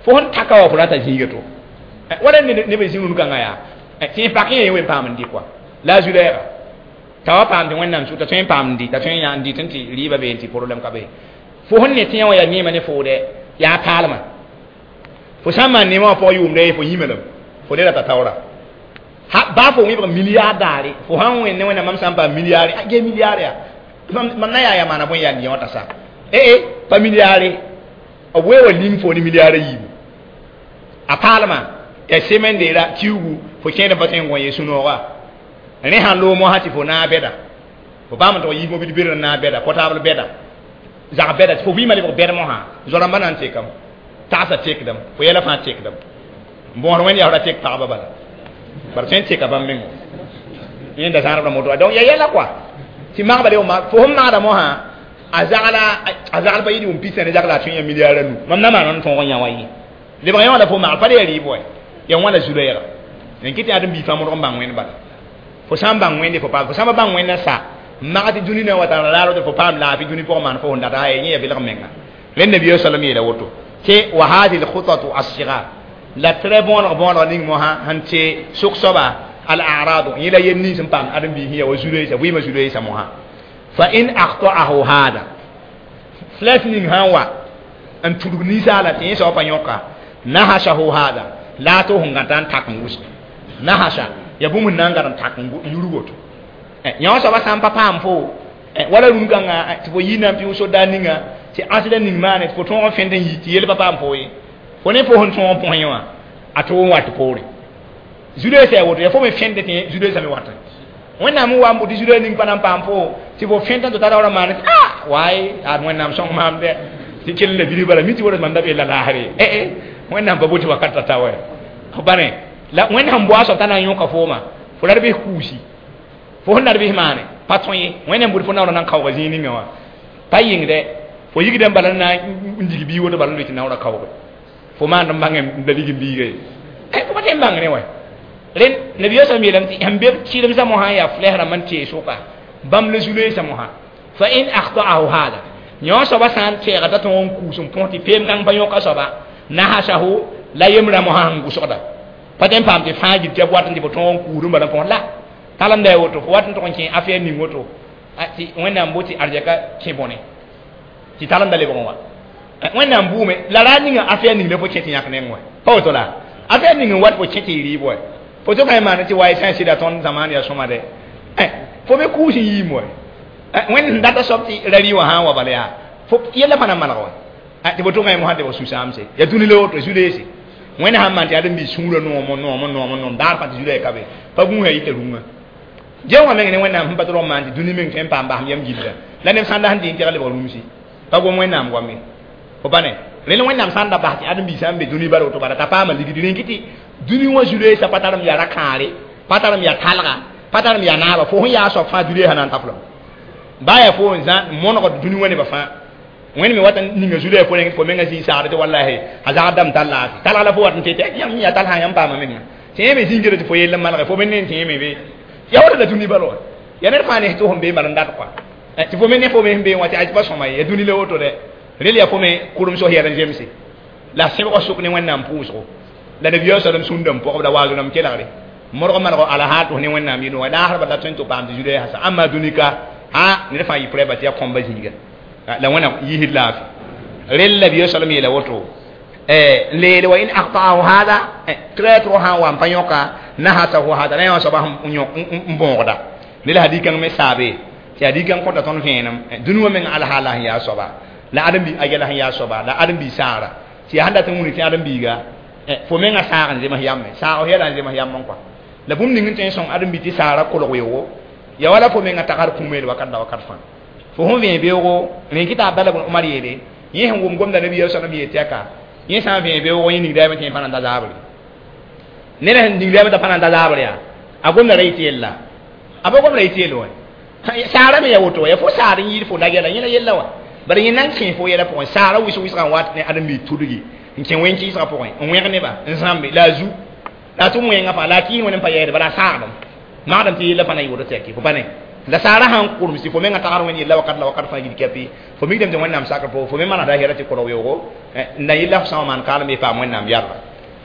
fo sẽn taka wa fo rata zĩiga to wala neb n zĩ rũn-kãngã yaa tɩ pak yẽ wen paam n dɩ kɔa la a zu-lɛɛga t'a wa paam tɩ wẽnnaam sʋka tõe n paam n dɩ t'a tõe n yã n dɩt n tɩ rɩɩbã bee n tɩ problɛm ka be fo sẽn ne tẽ wã yaa neemã ne foodɛ yaa paalmã fo sã n maan neemã wã pʋgã yʋʋmda fo yĩma lame fo le rata taoora baa fo wẽbg milliard daare fo sãn wẽnd ne wẽnnaam mam sã n paam milliard ge milliard yaa mam na yaa yaa maana bõe yaa yẽ wã t'a sa eh pa milliard b wee wa ning fo ne milliard a yiibu a paalmã ya semaine de la kiugu fo kẽed n pa tõe n gõ ye sũ-nooga rẽ sãn loog mosã tɩ fo naag bɛda fo paam n tʋg yiis mobil ber n naag bɛda portable bɛda zag bɛda tɩ fo vɩɩmã lebg bɛd mosã zo-rãmbã na n tekame tagsã tekdame fo yɛla fãa tekdame n bõosd wẽnd yaa ra tek pagba bala bara tõe n teka bãmb meng yẽnda zãadbra moto donc ya yɛla kɔa tɩ magba le fo sẽn magda mosã a zagl pa yɩ wʋm pisa ne zagla a tõe n yã milliard a nu mam na maan n tõog n yã wa yẽ lebg yã wã la fo magl pa le ya rɩɩb wɛ ya wãna zu-lɛɛga n kɩ tɩ ãdem bii fãa modg n bãng wẽnd bala fo sã n bãng wẽnde fo paam fo sã n pa bãng wẽnd n sa mag tɩ dũni na n wa tara raar woto fo paam laafɩ dũni pʋgẽ maan fo sẽn data yẽ ya belg menga rẽnd nabiya salam yeela woto tɩ wa hadihi lkhutatu alsigar la tɩ bõoneg bõoneg ning mosã sẽn tɩ sʋk soaba al aradu yẽ la yel nins n paam ãdem-biis ya wa zu-loeesa vɩɩmã zu-loeesa mosã fa in akhtaahu hada flɛs ning sã n wa n tudg ninsaala tɩ yẽ soab pa yõka nahasahu hada la a to sẽn gãta n tak n wʋsg nahasa ya bũmb n na n gad n tak n yurg woto yã soaba sã n pa paam fo wala rũn-kãngã tɩ fo yi na n pɩʋ soda ninga tɩ ãsda ning maane tɩ fo tõog n fẽnd n yi tɩ yel pa paam fo ye fo ne fo sẽn tõog n põs yẽ wã a tʋg n wat poore zu-loeesã ya woto ya fo me fẽnde tɩ zu-loeesã me watẽ wẽnnaam n wa n bʋ tɩ zu-loees ning pa na n paam fo tɩ fo fẽnd n tɩ tara wala maane tɩ waay ad wẽnnaam sõng maam dɛ tɩ kell la bilg bala mi tɩ woto mam da be la laasre eh wẽnnaam pa botɩ wakat t'a ta wɛ f bane la wẽnd sẽn boa soab t'a na n yõka fooma fo la d bɩs kuusi fo sẽn la d bɩs maane pa tõe ye wẽnd n bʋd fo naoora na n kaooga zĩig ninga wã pa yɩng dɛ fo yigdã n bala na n dig bii woto bala n loe tɩ naoora kaooge fo maand n bãng n la lig n biiga ye fo pa tõe n bãng ne wɛ rẽnd nabiya sã yeelame tɩ sẽn be sɩlemsã mosã yaa flɛs rãmb n tee sʋka bãmb la zu-loeesã mosã fa in akhtaahu hada yõ soaba sã n tɛɛga t'a tõog n kuus n põs tɩ peem kãng pa yõka soaba nahasahu la yembrã mosã sẽn gʋsgda pa tõe n paam tɩ fãa gil tɩ b wat n tɩ fo tõog n kuusd n bala n põs la talemda ya woto fo wat n tʋg n kẽ affaire ning woto tɩ wẽnnaam bo tɩ arzɛka kẽ bõne tɩ talemda lebg n wa wẽnnaam buume la ra ninga affaire ning la fo kẽ tɩ yãk neng wɛ pa woto la affaire ning n wat fo kẽ tɩ y rɩɩb wɛ fo tʋka y maan tɩ wa y sã n sɩda tõnd zamaan yaa sõma dɛ fo me kuus n yiim wɛ wẽnd sẽn data soab tɩ ra rɩ wã sã n wa bala yaa fo yɛla fãa na maneg wɛ tɩ fo tʋka y mosã tɩ fo sũ-sãamse yaa dũni la woto zu-leese wẽnd sãn maan tɩ ãdem-biis sũurã noom noom noom noom daar fãa tɩ zu-loɛɛ ka be pa gũusã yita rũngã gẽ wã meng ne wẽnnaam sẽn pa tɩ rog maan tɩ dũni meng tõe n paam basem yam gilda la neb sãn da sẽn dɩ n tɛg lebg rũmsi pa gom wẽnnaam goame fo pa ne rẽnd wẽnnaam sã n da bas tɩ ãdem-biis sã n be dũni bara woto bala t'a paama ligd rẽn kɩ tɩ dũni wã zu-loeesã pa tarem yaa ra-kãare pa tarem yaa talga pa tarem yaa naaba fo sẽn yaa soab fãa dũni sã na n taflame baa yaa fo n zã monegd dũni wã nebã fãa wẽnd me wat n ninga zu-loɛɛ fo rẽng fo menga zĩig sagd tɩ wallahi a zagd dame tar laafɩ talg la fo wat n tɩ yãmb yaa tal sã yãmb paama menga tɩ yẽ me zĩngrã tɩ fo yell n malge fo me ne tɩ yẽ me be ya woto la dũni bala wa ya ned fãa ne tɩ fõn bee bala n dat kɔa tɩ fo me ne fo me sẽn bee wã tɩ a pa sõma ye ya dũni la woto dɛ rel yaa fo me kʋrem sos yɛl n zemse la sẽbgã sʋk ne wẽnnaam pʋʋsgo la nabiya sallam sũnda n pɔgb la waazʋ rãmb kelgre modg maneg alahaal tɩ f ne wẽnnaam yɩ noogã laasrba la tõe n tɩ paam tɩ zu-loeesã sa ãmba dũni ka a ned fãa yɩ prɛba tɩ ya kõmba zĩiga la wẽna yisd laafɩ rel nabiya sallam yeela woto n leele wa in akhtaahu hada traître sã n wa n pa yõka nahasahu hada la yã soaba n bõogda ne la hadikãng me saabe tɩ hadikãng kõta tõnd vẽenem dũni wã meng alhaala sẽn yaa soaba la ãdem-bi a yɛla sẽn yaa soaba la ãdem-bi saara tɩ yaa sẽn dat n wuni tɩ ãdem-biiga fo menga saag n zems yame saag yɛla n zems yam n kɔa la bũmb ning n tõe n sõng ãdem-bi tɩ saara kolg weoogo ya wala fo menga tagsd kũumeel wakat la wakat fãa fo sẽn vẽe beoogo rẽ kɩ t'a Abdalla bn Umar yeele yẽ sẽn wʋm gomda nabiya sallam yeel tɩ aka yẽ sã n vẽe beoogo yẽ ningdaame tɩ yẽ pa na n ta zaabre ned sẽn ningdaame t'a pa na n ta zaabre yaa a gomda ra yɩ tɩ yella A pa gom la yɩ tɩ yel wã saara me ya woto ya fo saar n yɩɩd fo la yɛla yẽla yella wã bala yẽ nan kẽ fo yɛla pʋgẽ saara wɩs-wɩsgã n wat ne ãdem-biig tudgi n kẽ wẽn-kɩɩsgã pʋgẽ n wẽg neba n zãmbe la a zu la a tʋm wẽngã fãa la a kɩɩs wẽnd n pa yɛɛde bala a saagdem magdem tɩ yella fãa na yɩ woto tɩ ya kɩ fo pa ne la saara sãn kurms tɩ fo menga tagd wẽnd yella wakat la wakat fãa gil kɛpɩ fo mikdame tɩ wẽnnaam sakr pʋgẽ fo me manegda hɛra tɩ korg weoogo n na yella f sã n maan kaalem ye paam wẽnnaam yɛrda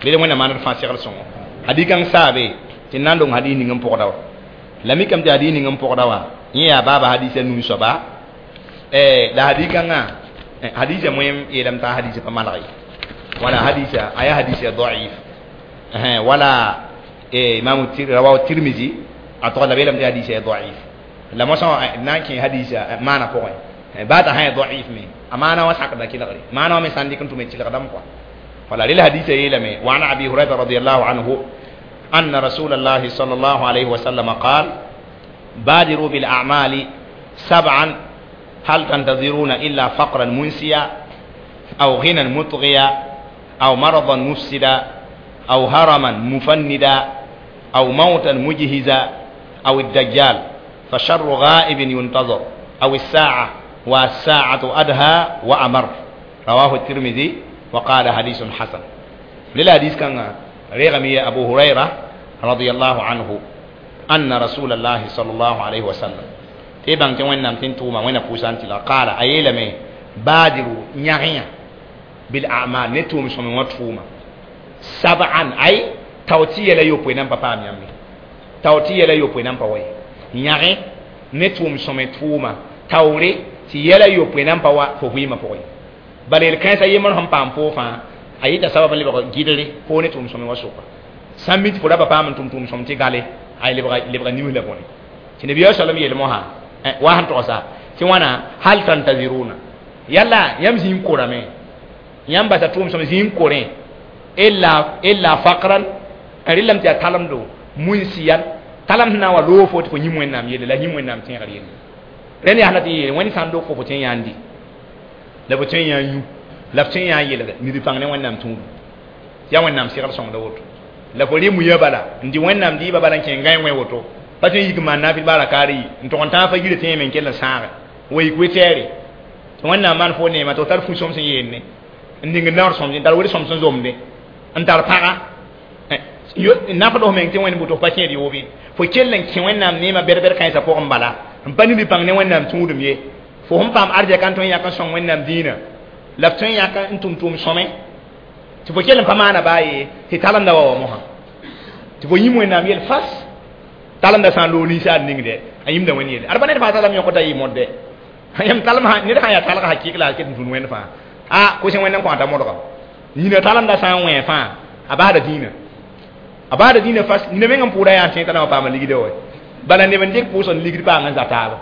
lele wẽnnaam maand d fãa segl sõngo hadikãng saabe tɩ n na n dong hadis ning n pʋgda wa la mikame tɩ hadis ning n pʋgda wã yẽ yaa baaba hadisa nuu soaba la hadikãngã hadisa moẽm yeelame t'a hadisa pa maneg ye wala hadisa a yaa hadisa daif wala imam rawahu tirmizi a tog la beelame tɩ hadisa ya daif la mosã na n kẽ hadisa maana pʋgẽ baa t'a sã ya daif me a maana wã sakda kelgre maana wã me sã n dɩk n tʋme tɩlgdame kɔa wala rel hadisa yeelame wa an abi hurayra radiallahu anhu أن رسول الله صلى الله عليه وسلم قال بادروا بالأعمال سبعا هل تنتظرون إلا فقرا منسيا أو غنى مطغيا أو مرضا مفسدا أو هرما مفندا أو موتا مجهزا أو الدجال فشر غائب ينتظر أو الساعة والساعة أدهى وأمر رواه الترمذي وقال حديث حسن للحديث كان رغمي أبو هريرة رضي الله عنه أن رسول الله صلى الله عليه وسلم تبان تي وين نام توما وين بوسان تلا قال أيلمي بادروا نيغيا بالأعمال نتوم سمي وتوما سبعا أي tawti yɛla yopoe nan pa paam yãmbe tawti yɛla yopoe nan pa wa ye yãge ne tʋʋm sõme tʋʋma taoore tɩ yɛla yopoe nan pa wa fo vɩɩmã pʋgẽ bala yel-kãensã yembr sẽn paam poo fãa a yɩta sabab n lebg gɩdre foo ne tʋʋm sõme wã sʋka sã n mi tɩ fo ra pa paam n tʋm tʋʋm sõm tɩ gale ay lebga nims la bõne tɩ nabiya salam yel mosã wa sẽn togsa tɩ wãna hal tantaziruna yalla yãmb zĩ n korame yãmb basa tʋʋm sõm zĩ n korẽ illa faqran n rɩlame tɩ yaa talemdo munsiyan talem sẽn na n wa loog fo tɩ fo yĩm wẽnnaam yelle la yĩm wẽnnaam tẽegr yelle rẽnd yaa sẽn na tɩ yeele wẽnd sã n dog fo fo tõe n yã n dɩ la fo tõe n yã n yũ la f tõe n yã n yelg nid pãng ne wẽnnaam tũudu yaa wẽnnaam segl sõngda woto la fo rɩ muyã bala n dɩ wẽnnaam dɩɩbã bala n kẽ gãe wẽ woto pa tõe n yik n maan naafɩl baara kaar yi n tog n tãag fa yirã tẽeme n kell n sãage wa yik we-tɛɛre tɩ wẽnnaam maan fo neema tɩ f tar fu-sõm sẽn yeenne n ning n naoor sõmde n tar wel-sõm sẽn zomde n tar pãga nafd f meng tɩ wẽnd buto f pa kẽed yoobe fo kell n kẽ wẽnnaam neemã bɛd-bɛd kãensã pʋgẽ bala n pa nid pãng ne wẽnnaam tũudum ye fo sẽn paam arzɛka n tõe n yãk n sõng wẽnnaam dĩinã la f tõe n yãk n tʋm tʋʋm sõme tɩ fo kell n pa maana baa ye tɩ talemda wa wa mosã tɩ fo yĩm wẽnnaam yel fas talemda sã n loog ninsaal ningdɛ a yĩmda wẽnd yelle ad pa ned fãa talem yõkda yɩ modde yãmb talem ned sã n yaa talga hakɩɩk la a ket n tũud wẽnd fãa a kos wẽnd n kõata modgam nina talemda sã n wẽ fãa a basda dĩinã a baada dĩinã fas nina meng n pʋʋda yaa n tẽ t'a na wa paama ligdã wa bala neb n dɩk pʋʋsg n ligd paang n za taaba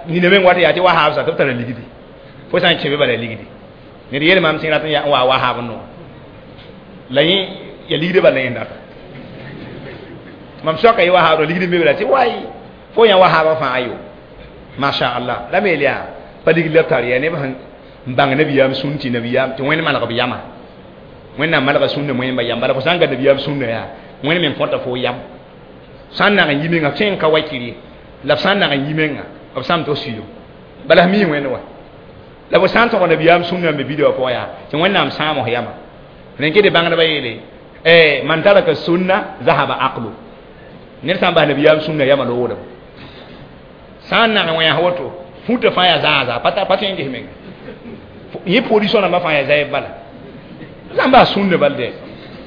nina meng wat yaa tɩ wahaab sa tɩ b tara ligdi fo sã n kẽ be bala ligdi ned yeel maam sẽn rat n wa wahaab n no la yẽ ya ligdã bala yẽ data mam soaka yɩ wahaab ro ligd n be bala tɩ wai fo yã wahaabã fãa ayo masha allah la me yel yaa pa ligd la b tar yaa neb sẽn n bãng nabiyaam sũn tɩ nabiyaam tɩ wẽnd maneg b yama wẽnnaam malga sũnna moẽmba yam bala fo sã n ga nabiyaam sũnna yaa wẽnd me n kõta fo yam sã n nag n yi menga f tõe n ka wakir ye la f sã n nag n yi menga b sãm tɩ f suyo bala f mii wẽnd wa la fo sã n tog nabiyaam sũnna n be bida wã pʋgã yaa tɩ wẽnnaam sãam f yama rẽn kɩ tɩ bãngdbã yeele man taraka sunna zahaba aqlu ned sã n bas nabiyaam sũnna yama loogdem sã n nag n wẽs woto fũta fãa yaa zãa-zaa pa tõe n ges menga yẽ position rãmbã fãa yaa zaɛb bala sã n bas sũnna bal dɛ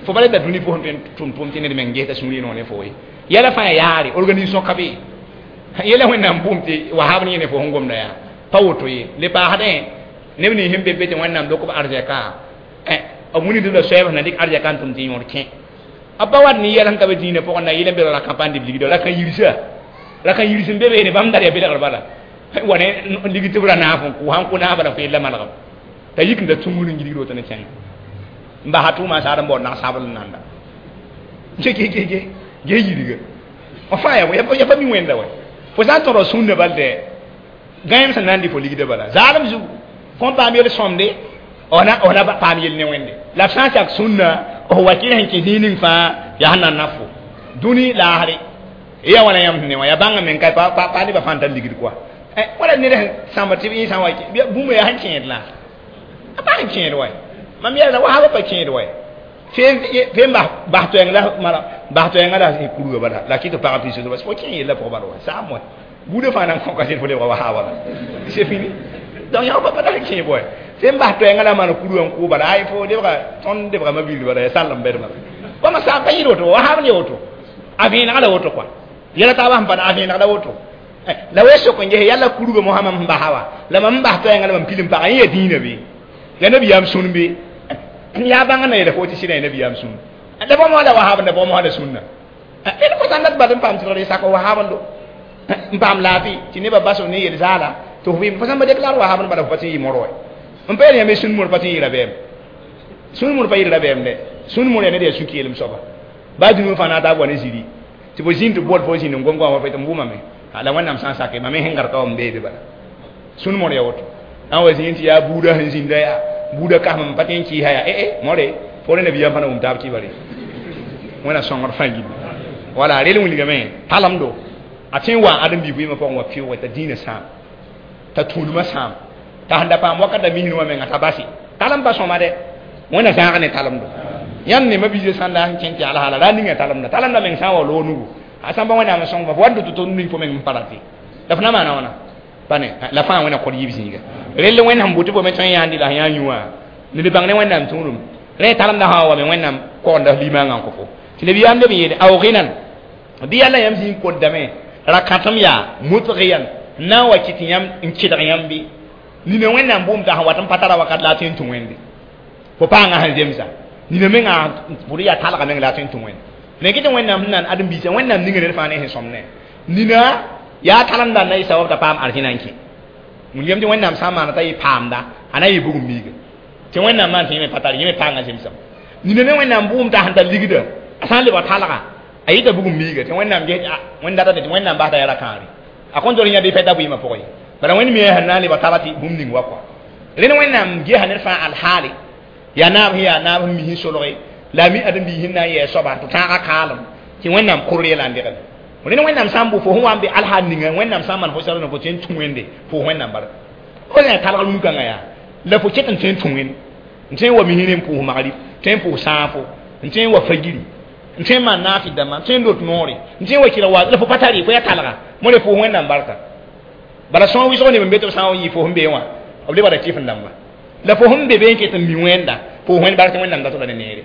fo pa da dũni pʋsẽ tõe n tʋm tʋʋm tɩ ned meng gesda sũur no ne fo ye yɛla fãa yaa yaare organisation ka be yɛla wẽnnaam bʋʋm tɩ wahaab ne yẽ ne fo sẽn gomda yaa pa woto ye le paasdẽ neb nins sẽn be be tɩ wẽnnaam lok b arzɛka b wilgd la soɛɛb sẽn na dɩk arzɛka n tʋm tɩ yõod kẽ b pa wat ne yɛl sẽn ka be dĩinã pʋgẽ na yɩl n be ra campagne dɩ b ligda ra kan yirsa ra kan yirs n be beene bãmb dar yaa belgr bala wa ne ligd tɩ b ra naaf n kʋ sãn kʋ naaf bala fo yella malgem t'a yik n da tũngr n gilgd woto ne kẽnga n basa tʋʋmã saad n baood nag-sabl n nanda ge ge ge ge ge yirga fãa ya pa mi wẽnda wa fo sã n tõd sũnna bal dɛ gãem sẽn na n dɩ fo ligda bala zaalem zugu kõn paam yel sõmde f na paam yel ne wẽnde la f sã n sak sũnna f wakɩr sẽn kẽ zĩig ning fãa yaa sẽn na n na fo dũni laasre Ya wala yam ne wa ya bãnga men ka pa pa pa ne ba fãn tar ligd kɔa wala ned sẽn sãmb tɩ yẽ sã n wa bũmb yaa sẽn kẽed la a pa sẽn kẽed wa mam yɛla wa pa kẽed wa fe n bas toɛɛng la bas toɛɛngã la kurga bala la kɩ tɩ pag pis bas fo kẽ yella pʋgã bala wa saam wa buudã fãa nan kõ kaset fo lebga wa haaba la c'est fini. Donc yã pa pa kẽ boy fe n bas toɛɛngã la maan kurga n kʋ bala ay fo lebga tõnd lebga ma-bil bala ya sall n bɛd bala bãmba saam pa yɩɩd woto wa haab ne woto a vẽeneg la woto kɔa yɛla taabã sẽn pa a vẽeneg la woto la we sok n ges yalla kurga mosã mam sẽn basa wa la mam n bas toɛɛngã la mam pil n pagã yẽ ya dĩinã be ya nabiyaam sũn be yaa bãngã na yeela fo tɩ sɩda ya nabiyaam sũn la bõmb la wahaab la bõmb la sũnna d fo sãn dat bal n paam tɩlgr sak wahaabndo n paam laafɩ tɩ nebã bas ne yel zaala tɩ f vɩɩm fo sãn ba déclare wahaabnd bala fo pa tɩ n yɩ moro n pa yel yãmb sũn mor pa tɩ n yɩ rabeem sũn mor pa yɩ rabeem dɛ sũn mor yaa ned yaa sũ-keelem soaba baa dũniyã fãa na taab wa ne ziri tɩ fo zĩnd tɩ bol fo zĩnd n gom goamã fo tɩ m wʋmame la wẽnnaam sã n sake mam sẽn gãd ka wa m beebe bala sũn mor yaa woto n wa zĩnd tɩ yaa buudã sẽn zĩnda yaa buudã kasem n pa tɩ n kɩɩsa yaa ee more fo rẽ nabiyaam fãna wʋm taab kɩbare wẽna sõngr fãa gilli wala rel wilgame talemdo a tõe n wa ãdem-biig vɩɩmã pʋgẽ wa pɩʋʋge t'a dĩinã sãam t'a tũudmã sãam t'a sẽn da paam wakat da misẽ wã menga t'a base talem pa sõma dɛ wẽna zãag ne talemdo yãmb ne ma-biisã sãn la n kẽn tɩ alhaala ra ninga talemda talemda meng sã n wa loog nugu a sãn pa wẽnnaam n sõng fa wa dʋ tɩ tõnd ning fo meng n pa rate la f na maana wãna pa ne la fãa wẽna kod yiib zĩiga rell wẽnd sẽn bʋ tɩ fo me tõe n yãandi la sẽn yã yũ wã ned bãng ne wẽnnaam tũudum rẽ talemda sã wa wa me wẽnnaam kogenda f limaangã n kõ fo tɩ nabiyaam leb n yeele ao gɩnan bɩ yalla yãmb zĩig kodame rakãtem yaa mutgiyan n na n wa kɩt yãmb n kɩdg yãmb bɩ nina wẽnnaam bʋʋm t'a sẽn wat n pa tara wakat la a tõe n tũ wẽnde fo paangã sẽn zemsa nina mengã pʋd yaa talga meng la a tõe n tũ wẽnde ne kɩ tɩ wẽnnaam sẽn nan ãdem-biisã wẽnnaam ninga ned fãa ne sẽn sõmne nina yaa talemda n na yɩ sabab t'a paam arzẽna n kẽ wilgame tɩ wẽnnaam sã n maana t'a yɩ paamda a na yɩ bugum miiga tɩ wẽnnaam maan tɩ yẽ me pa tar yẽ me paangã zemsame nina me wẽnnaam bʋʋm t'a sẽn tar ligda a sã n lebg talga a yɩta bugum miiga tɩ wẽnnaam ges wẽnd data tɩ wẽnnaam basda yaa ra-kãare a kõn tol yã bɩ fɛta vɩɩmã pʋgẽ bala wẽnd me sẽn na n lebg tala tɩ bũmb ning wa kɔa rẽnd wẽnnaam gesa ned fãa alhaale yaa naab sẽn yaa naab sẽn mis n solge la a mi ãdem-biis sẽn na n yɛɛ soaba tɩ tãagã kaalem tɩ wẽnnaam kʋr yɛla n degl rẽnd wẽnnaam sã n bʋ fo sẽn wa n be alhaal ninga wẽnnaam sã n maan fo sar fo tõe n tũ wẽnde fo wẽnnaam barka fo sã talg rũn-kãngã yaa la fo ket n tõe n tũ wẽnd n tõe n wa misẽ n pʋʋs magrib tõe n pʋʋs sãafo n tõe n wa fagiri n tõe n maan naafɩ dãmbã n tõe n lot noore n tõe n wa kɩlg wa la fo pa tare fo yaa talga more pʋʋs wẽnnaam barka bala sõor wɩsg neb n be tɩ b sã n yɩ fo sẽn be wã b lebgda kɩf n dãmba la fo sẽn be be n ket n mi wẽnda pʋʋs wẽnd bark tɩ wẽnnaam dat la ne neere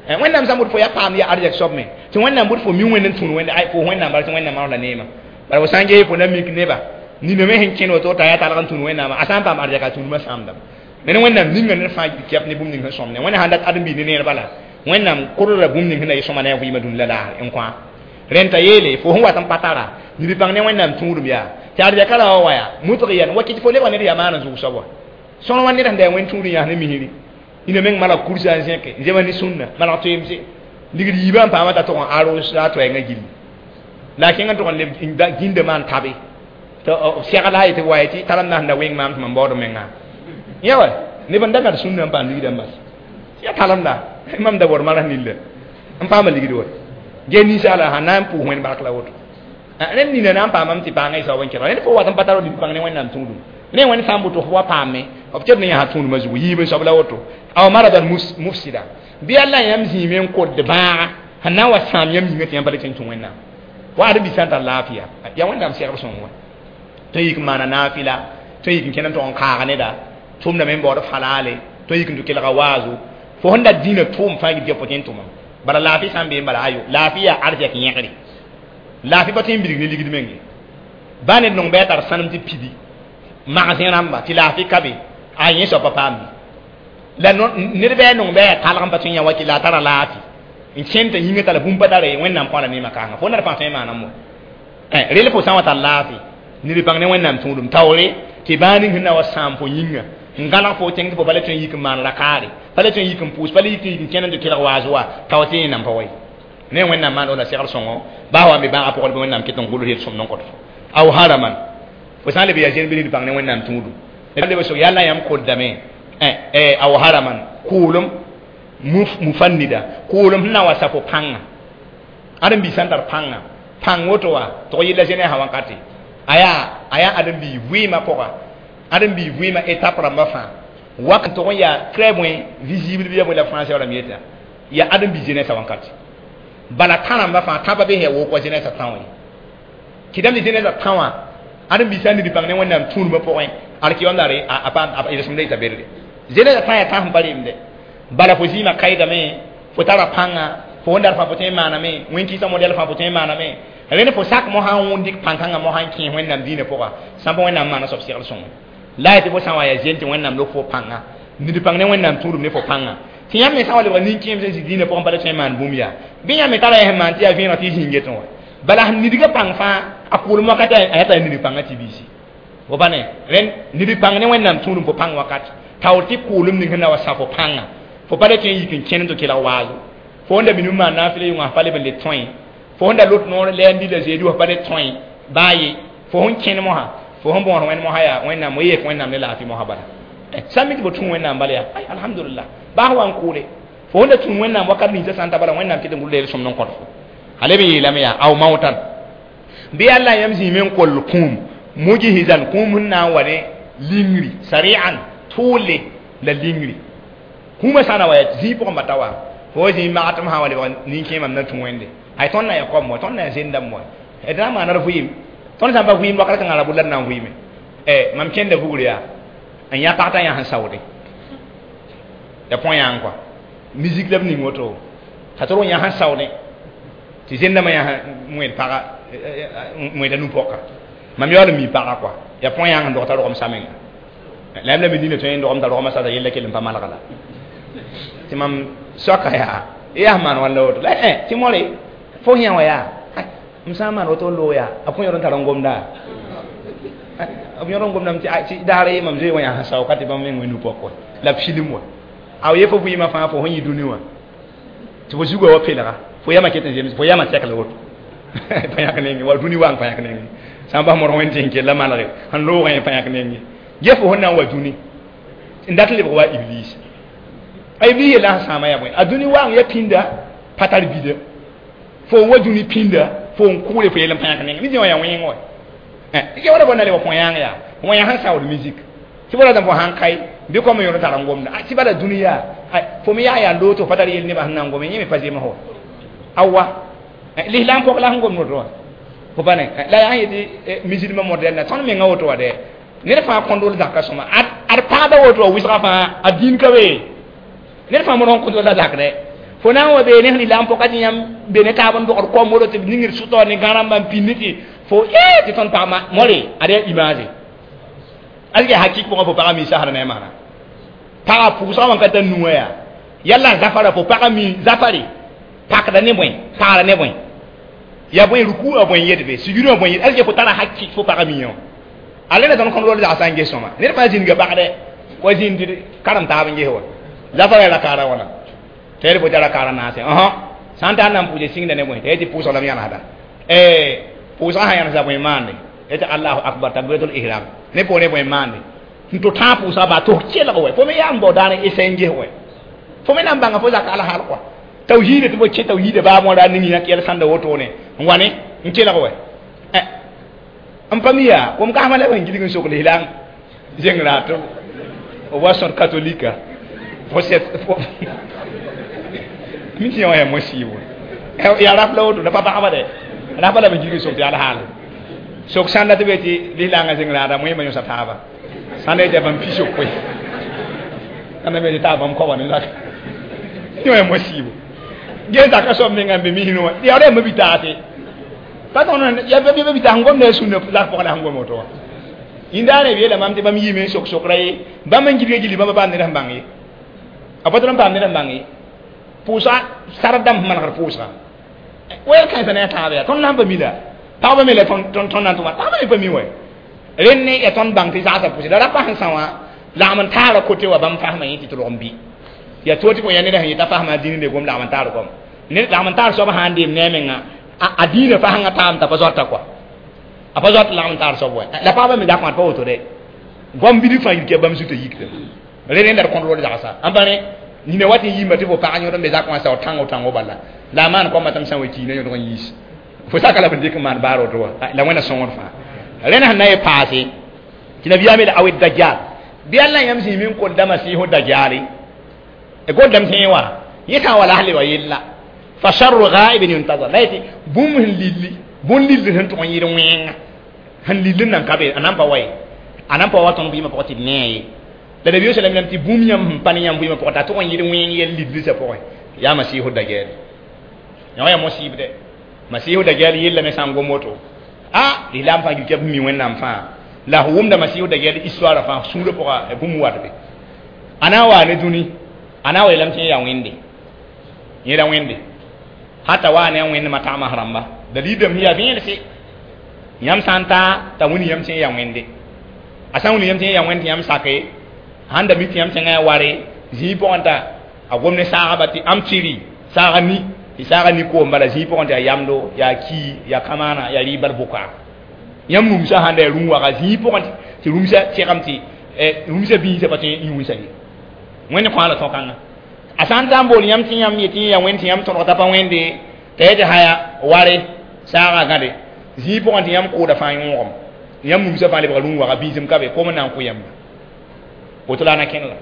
wẽnnaam sã n bʋd fo yaa paam yaa arzɛk soab me tɩ wẽnnaam bʋd fo mi wẽnd n tũud wẽnda ay pʋʋs wẽnnaam bark tɩ wẽnnaam maan la neemã bala fo sã n ges fo na mik neba nina me sẽn kẽnd woto t'a yaa talg n tũud wẽnnaamã a sã n paam arzɛka tũudmã sãamdame ned wẽnnaam ninga ned fãa kɛp ne bũmb ning sẽn sõmne wẽnna sãn dat ãdem-biig ne neer bala wẽnnaam kʋrda bũmb ning sẽn na yɩ sõma ne a vɩɩmã dũni la laasre n kõ rẽn t'a yeele fo sẽn wat n pa tara nib-bãng ne wẽnnaam tũudum yaa tɩ arzɛka ra wa wa yaa mutgiyan wa kɩt fo lebga ned yaa maan n zʋg soab wa sõr wa ned sẽn da yaa wẽnd tũud n yãs ne misri ina meng malg kursa n zẽke n zema ne sũnna malg toeemse ligd yiibã n paama t'a tʋg n aros a toɛɛngã gilli la a kẽng n tʋg n leb gĩnda maan tabe tɩ segl a yetɩ wa tɩ talemda sẽn da wẽng maam tɩ mam baood menga yã wa neb n da gãd sũnna n paam ligdã n bas yaa talemda mam da baood maras nilla n paama ligd wa ge ninsaala sãn na n pʋʋs wẽnd bark la woto rẽnd nina na n paamame tɩ paangã y saob n kẽga rẽnd fo wat n pa tar nib bãng ne wẽnnaam tũudum ne wẽnd sã n bʋ tɩ fo wa paame b tɩ b ne yãsa tũudmã zugu yiib n soab la woto aw maradan mufsida bɩ yalla yãmb zĩime n kod bãaga sẽn na n wa sãam yãmb yĩngã tɩ yãmb pa le tɩ n tũ wẽnnaam wa ãdem-biis sã n tar laafɩya yaa wẽnnaam segb sõng wa tõe n yik n maana naafɩla tõe n yik n kẽnd n tʋg n kaag neda tʋmdame n baood falaale tõe n yik n tɩ kelga waazo fo sẽn da dĩinã tʋʋm fãa gil fo tõe n tʋmam bala laafɩ sã n bee n bala ayo laafɩ yaa arzɛk yẽgre laafɩ pa tõe n bilg ne ligd menge baa ned nong bɩ a tar sãnem tɩ pidi magsẽ rãmba tɩ laafɩ ka be a yẽ soab pa paam la ned bɩ a nong bɩ a yaa talg n pa tõe n yã wa tɩ la a tara laafɩ n kẽnd t'a yĩngã tara bũmb pa tara wẽnnaam kõ la neemã kãngã fo nad fãa tõe n maanam wa rel fo sã n wa tar laafɩ ned bãng ne wẽnnaam tũudum taoore tɩ bãa ning sẽn na wa sãam fo yĩnga n gãlg fo tẽng tɩ fo pa le tõe n yik n maan rakaare pa le tõe n yik n pʋʋs pa le yik n kẽnd n tɩ kelg waas wa tao tɩ yẽ nan pa wa ye ne wẽnnaam maan la segl sõngo baa wa me bãagã pʋgd bɩ wẽnnaam ket n gʋls yel sõmd n kõt fo aw haraman fo sã n leb yaa zẽn bɩ ned bãng ne wẽnnaam tũudum leb sok yalla yãmb koddame aw haraman kʋʋlem mufannida kʋʋlem sẽn na n wa sa fo pãnga ãdem-biis sã n tar pãnga Pãng woto wã tɩg yella zẽnɛɛsã wãnkate a yaa ãdem-biig vɩɩmã pʋga ãdem-biig vɩɩmã étape rãmbã fãa wak tʋg n yaa très bõe visible bɩ ya bõe la français rãmb yeta yaa ãdem-biig zẽnɛɛsã wãnkate bala tã rãmbã fãa tãbã be sẽn yaa wok wa zẽnɛɛsã tã wã ye kɩdame tɩ zẽnɛɛsã tã wã ãdem-biig sã n nid bãng ne Wẽnnaam tũudmã pʋgẽ alkiyom daare a paam yel-sõmda yeta berre zẽnɛɛsã tã yaa tã sẽn pa remde bala fo zĩimã kaɩdame fo tara pãnga fo wẽndaar fãa fo tõe n maaname wẽn-kɩɩsã modɛl fãa fo tõe n maaname rẽnd fo sak mosã n wʋnd dɩk pãn-kãngã mosã n kẽes Wẽnnaam dĩinã pʋga sãmba Wẽnnaam maana soab segl sõngo la ya tɩ fo sã n wa yaa zen tɩ Wẽnnaam lok fo pãnga nid pãng ne Wẽnnaam tũudum ne fo pãnga tɩ yãmb me sã n wa lebg nin-kẽem sẽn zĩ dĩinã pʋgẽ pa le tõe n maan bũmb yaa bɩ yãmb me tara yaa sẽn maan tɩ yaa vẽeneg tɩ y zĩig getẽ wã bala sẽn nidgã pãng fãa a kʋʋlem wakat a yaa t'a nid pãngã tɩ biisi fo pa ne rẽnd nid pãng ne Wẽnnaam tũudum fo pãng wakat taoor tɩ kʋʋlem ning sẽn na wa sa fo pãnga fo pa le tõe n yik n kẽnd tɩ kelg waazo fo wẽnda minim maan naafɩla yʋngã pa leb n le tõe fo sẽn da lot noor lɛɛn la zeedi wã pa le tõe baa ye fo sẽn kẽnd mosã fo sẽn bõos wẽnd mosã yaa Wẽnnaam yek Wẽnnaam ne laafɩ mosã bala sã n mi tɩ fo tũ Wẽnnaam bala yaa ay alhamdulillah baa wa n kʋʋle fo sẽn da tũ Wẽnnaam wakat ninsã sã n ta bala Wẽnnaam kɩt n gʋlda yel-sõmd n kõt fo a leb n yeelame yaa aw maotan bɩ Allah yãmb zĩime n koll kũum mujhizan kũum sẽn na n wa ne lingri sari'an tʋʋle la lingri kũumã sã n na wa yaa zĩig pʋgẽ bata wa fo zĩig magatem sã n wa lebg nin-kẽemam na tũ Wẽnde ay tõnd na ya koam wa tõnd na ya zendame wa d na n maana d vɩɩm tõnd sã n pa vɩɩm wakat kãngã ra bʋ la d na n vɩɩme mam kẽnda vugr yaa n yã pag t'a yã sẽn saoode ya põe yã n kɔa musique la b ning woto t'a tʋrg yã sẽn saoodẽ tɩ zendamã yã wẽed paga wẽeda nu-pɔka mam yaool n mi paga kɔa ya põe yã sẽn dog t'a rogem samenga la yãmb la me dĩnã tõe n dogem t'a rogmã sasa yella kell n pa malga la tɩ mam soaka yaa yaa maan wãn la woto la tɩ more fo yã wã yaa m sã n maan woto n loog yaa a põe yõd n tar n gomda b yõd n gomdame tɩ daara ye mam zoe wã yaa sẽn sao ka tɩ bãmb meng wẽ nu-pɔk wa la b filim wa a ye fo vɩɩmã fãa fo sẽn yɩ dũni wã tɩ fo zugã wa pelga fo yamã ket n zems fo yamã sɛkl woto pa yãk nenge wa dũni wang pa yãk nenge sã n bas modg wẽnd tɩ n kella manege sẽn loogã pa yãk nenge ge fo sẽn na n wa dũni n dat lebg wa iblis a iblis yella sẽn sãama yaa bõe a dũni wang ya pĩnda pa tar bida fo n wa dũni pĩnda fo n kʋʋle fo yell n pa yãk nenge mi wa yaa wẽng wa ya wala bõe na le wa põe yãng yaa wã yã sẽn saood musique tɩ bala fo sãn kae bɩ kom yõd tar n gomda tɩ bala dũni yaa fo me yaa yaa loog tɩ pa tar yel nebã sẽn na n gome yẽ me pa zems wa awa lislaam pɔg la sẽn gomd woto wã fo pa ne la yaa n yetɩ musulmã modɛl na tõnd menga woto wa dɛ ned fãa kõndol zaka sõma ad pagda woto wa wɩsga fãa a dĩin ka be ned fãa mod sẽn kõndol la zak dɛ fo na n wa bee ne sẽn lislaam pɔka tɩ yãmb be ne taab n dogd kom woto tɩ b ningd sʋtɔ ne gã rãmbã n pĩnd tɩ fo tɩ tõnd pagma more ad yaa image azge hakik pʋgã fo pagã mi sasr ne maana pagã pʋʋsgã wã ka tar nuwã yaa yalla zafara fo pagã mi zafare pakda ne bõe pagra ne bõe ya bõe ruku a bõe yedbe sugurã bõe yed azge fo tara hakik fo pagã mi yã a le na tõnd kõnd rol zagsã n ges sõma ned fãa zĩnga pagdɛ wa zĩnd tɩ karem taab n ges wa zafara ra kaara wãna tɩ yaa fo tara kaara naase sã n tar na n pʋʋse sĩngda ne bõe tɩ yaa tɩ pʋʋsg la m yãnesda pʋʋsgã sã yãnesda bõe maande tɩ allahu akbar takbiratul ihram ne poore bõe maande n tɩ tãag pʋʋsga baa tɩ kelg wɛ fo me yaa n bao daar n esa n ges wɛ fo me na n bãnga fo zaka alhaal kɔa tawhiida tɩ fo kẽ tawhiida baa moora ning yã yɛl sãnda wotone n wa ne n kelg wɛ n pa mi yaa kom kasmã la b sẽn gilg n sok lislaam zengra tɩ wa sõd katolika fo sɛt mi tɩ yã wã yaa mosiibo yaa raf la woto la pa pagba dɛ rafa la b gilg n sok tɩ alhaal sok sãnda tɩ be tɩ lislaangã zeng raada moẽmã yõsa taaba sãnda yetɩ bãmb pi sokoe sãnda me tɩ taa bãmb koaba ne zaka yõ yaa mosiibo gee zaka soab menga n be misrẽ wã yaa ra yaa bi-taase pa tõnd ya bi taas n gom ne a sũnã zak pʋgã la sẽn gom woto wã yĩndaane b yeela mam tɩ bãmb yiime n sok sokra ye bãmb n gilga gilli bãmb paam ned sẽn bãng ye a pa tɩ n paam ned sẽn bãng ye pʋʋsga sard dãmb sẽn manegd pʋʋsga wɛɛl kãensã ne a tãab yaa tõnd na n pa mi la pagba me la tõnd na n tʋma pagba me pa mi wɛ rẽnd ne ya tõnd bãng tɩ zagsã pʋʋsg la rapa sẽn sã wã lagm n taara kote wa bãmb fasmã yẽ tɩ tɩ log n bɩ yaa to tɩ fo yaa ned sẽn yeta fasmã dĩnd ne gom lagm n taar gom ned lagm n taar soab sã n deem ne a menga a dĩinã fasẽngã taam t'a pa zoata kɔa a pa zoat lagm n taar soab wɛ la pagba me zakã pa woto dɛ goam bilg fãa yik yaa bãmb zutã yikda rẽ rẽnda d kõnd rol zagsa n pa rẽ nina wat n yiimba tɩ fo pag yõd n be zakã wã sao tãngo tãngo bala la a maan koamã tɩ m sã n wa kiina yõdg n yiis Fo saka la b dɩk n maan baar woto wa la wẽnna sõngd fãa rẽnd sẽn na ye paase tɩ nabiyaam yeela awi dajjal bɩ alla yãmb zĩime n kolda masiihu dajjale goldame tẽ wã yẽ sã n wa la sẽn lebg yella fa sharru ghaibin yuntazar la yetɩ bũmb sẽn lilli bũn lill sẽn tʋg n yɩɩd wẽnga sẽn lill n nan ka be a nan pa wa ye a nan pa wa tõnd vɩɩmã pʋgẽ tɩ d nee ye la nabi sallam yeelame tɩ bũmb yãmb sẽn pa ne yãmb vɩɩmã pʋgẽ t'a tʋg n yɩɩd wẽng yɛl lillsã pʋgẽ yaa masiihu dajjal yã yaa mosib dɛ masiihu dajjal yellame sã n gom woto a lislaam fãa gil kɛb mi wẽnnaam fãa la f wʋmda masiihu dajjal histoire fãa sũurã pʋga bũmb watbe a na n waa ne dũni a na n wa yeelame tɩ yẽ yaa wẽnde yẽ la wẽnde hata waa ne a wẽndmã tagmas rãmba dalilame sẽn yaa vẽense yãmb sã n taa t'a wĩnd yãmb tɩ yẽ yaa wẽnde a sã n wĩnd yãmb tɩ yẽ yaa wẽnd tɩ yãmb sake sãn da mi tɩ yãmb tẽngã yaa ware zĩig pʋgẽ t'a a gom ne saagba tɩ am tɩri saaga ni tɩ saaga ni koom bala zĩig pʋgẽ tɩ yaa yamdo yaa ki yaa kamaana yaa rɩɩb bal bʋka yãmb rũmsã sãn da yaa rũm-waga zĩig pʋgẽ tɩ rũmsã tẽgem tɩ rũmsã biisã pa tõe n yũusa ye wẽnd kõ la tõkãngã a sã n ta n bool yãmb tɩ yãmb yetɩ yẽ yaa wẽnd tɩ yãmb tõdg t'a pa wẽnde t'a yetɩ haya ware saaga gãde zĩig pʋgẽ tɩ yãmb kooda fãa yõogem yãmb rũmsã fãa lebga rũm-waga biisem ka be kom n na n kʋ yãmba woto la a na kẽn la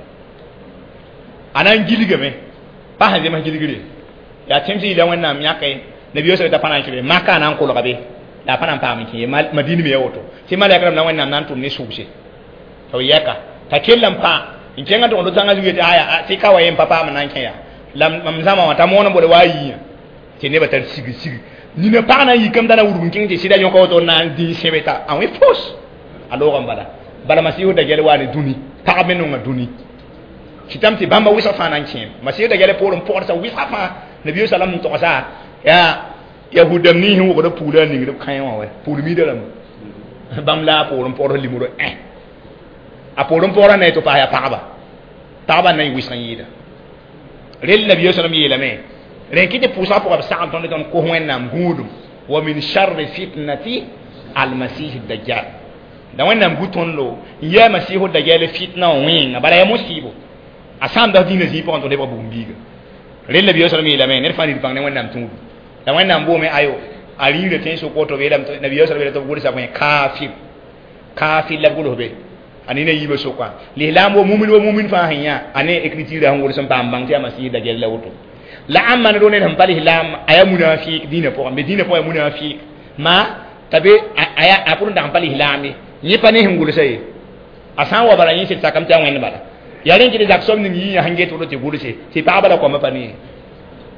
a na n gilgame pa sẽn zems gilgre yaa tẽms yɩla wẽnnaam yãke nabiyo sa t'a pa na n kẽ be maka a na n kolga be la a pa na n paam n kẽ ye madin me ya woto tɩ malɛk rãmb la wẽnnaam na n tʋm ne sʋʋse tɩ b yɛka t'a kell n pã n kẽngã tʋgd zãngã zugu yetɩ aya tɩ ka wa yen pa paam n na n kẽ yaa la mam zãma wã t'a moon n bode wa a yiiyã tɩ nebã tar sig sig nina pag na n yikame t'a na wudg n kẽng tɩ sɩda yõka woto n na n dĩi sẽbe t'a a wẽ fos a loogã n bala bala masiihu dajjal waa ne dũni pagb me nonga dũni kɩtame tɩ bãmba wɩsg fãa na n kẽem masiihu dajjal poorẽ pɔgdsa wɩsga fãa nabiyo salam n togsa yaa yahudam nins sẽn wogda puglã n ningd b kãe wã wɛ pugl miida rãmba bãmb la a poorẽ pɔgd limro ẽ a poorẽ pɔgrã na ye tɩ paas yaa pagba pagba n na n wɩsg n yɩɩda rel nabiyo salam yeelame rẽn kɩ tɩ pʋʋsgã pʋgã b sagl tõnd tõnd kos wẽnnaam gũudum wa min sharri fitnati almasih dajjal la wẽnnaam gu tõndo n yaa masiihu dajjal fitna wã wẽnga bala yaa mosiibo a sãamda dĩinã zĩig pʋgẽ tɩ lebg bugum-biiga rel nabiyo salam yeelame ned fãa nid bãng ne wẽnnaam tũudu la wẽnnaam boome ayo a rĩirã tẽn sʋk woto yeelame nabiyo salam yeela tɩ b gʋlsa bõe kaafir kaafir la b gʋls be a nina yiibã sʋka lislaam wa mumin wa mumin fãa sẽn yã a ne écriture sẽn gʋls n paam bãng tɩ yaa masiih dajjal la woto la ãmba ne ned sẽn pa lislaam a yaa munafik dĩinã pʋgẽ me dĩinã pʋgẽ yaa munafik ma t'a be a pʋr n dag n pa lislaam ye yẽ pa ne sẽn gʋlsa ye a sã n wa bala yẽ sɩd sakame tɩ a wẽnd bala yaa rẽn kɩ tɩ zak soab ning yĩyã sẽn get woto tɩ gʋlse tɩ pagba la koamã pa ne ye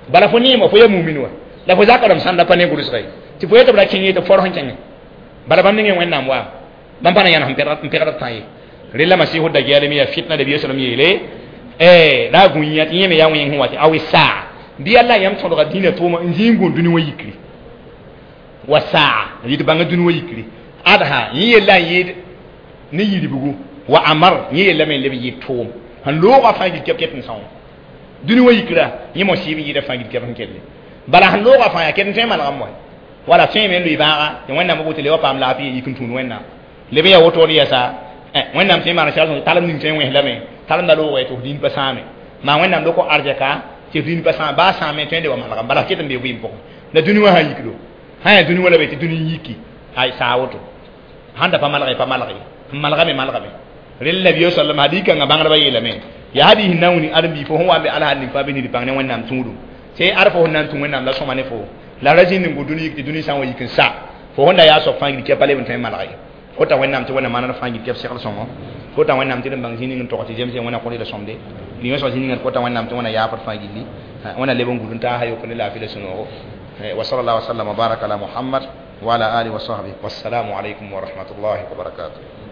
bala fo neema fo yaa mumin wa la fo zaka rãmb sãnda pa ne gʋlsga ye tɩ fo yetɩ b ra kẽng ye tɩ forg sẽn kẽngẽ bala bãmb ningẽ wẽnnaam wa bãmb pa na yãnes n pegd b tã ye rela masiihu dajjal me yaa fitna nabiya sallam yeele la a gũ-yã tɩ yẽ me yaa wẽng sẽn wa tɩ awi saa bɩ alla yãmb tõdga dĩinã tʋʋma n zĩ n gũ dũni wã yikri wa saa n yɩ tɩ bãnga dũni wã yikri adha yẽ yella n yɩɩd ne yiribgu wa amar yẽ yellame n leb n yɩɩd tʋʋm sẽn loogã fãa gil kɛb ket n são dũni wã yikra yẽ mosiib n yɩɩda fãa gil kɛb sẽn kelle bala sẽn loogã fãa yaa ket n tõe n manegame wa wala tõe me n lʋɩ bãaga tɩ wẽnnaam b woto le wa paam laafɩ yik n tũud wẽnnaam leb n yaa wotone yɛsa wẽnnaam tõe n maan sɛl talem ning tõe n wẽs lame talem da loogã tɩ f dĩin pa sãame maa wẽnnaam loko arzɛka tɩ f dĩin pa sãame baa sãame tõe n le wa manegame bala f ket n bee vɩɩm pʋgẽ la dũni wã sã n yikdo sã yaa dũni wã la be tɩ dũni n yiki ay saa woto sãn da pa malge pa malge n malgame malgame rel nabiyo sallam hadis kãngã bãngdbã yeelame yaa hadis n na n wini ãdem-biig fo sẽn wa n be alsad ning fãa be nid bãng ne wẽnnaam tũudum tɩ ad fo sẽn na n tũ wẽnnaam la sõma ne fo la ra zĩnd n gu dũni yik tɩ dũni sã n wa yik n sa fo sẽn da yaa soab fãa gil kɛpa leb n tõe n malg ye kota wẽnnaam tɩ wẽnnaam maanad fãa gil kɛb segl sõngo kota wẽnnaam tɩ d n bãng zĩ ning n tog tɩ zems wẽnna kõt la sõmde rĩmã soa zĩ ninga kota wẽnnaam tɩ wẽnna yaafd fãa gilli wẽnna leb n gud n taasa yokr ne laafɩ la sũ-noogo wa sallallahu wa sallam wa baraka ala muhammad wa ala alihi wa sahbihi wassalamu alaykum wa rahmatullahi wa barakatuh.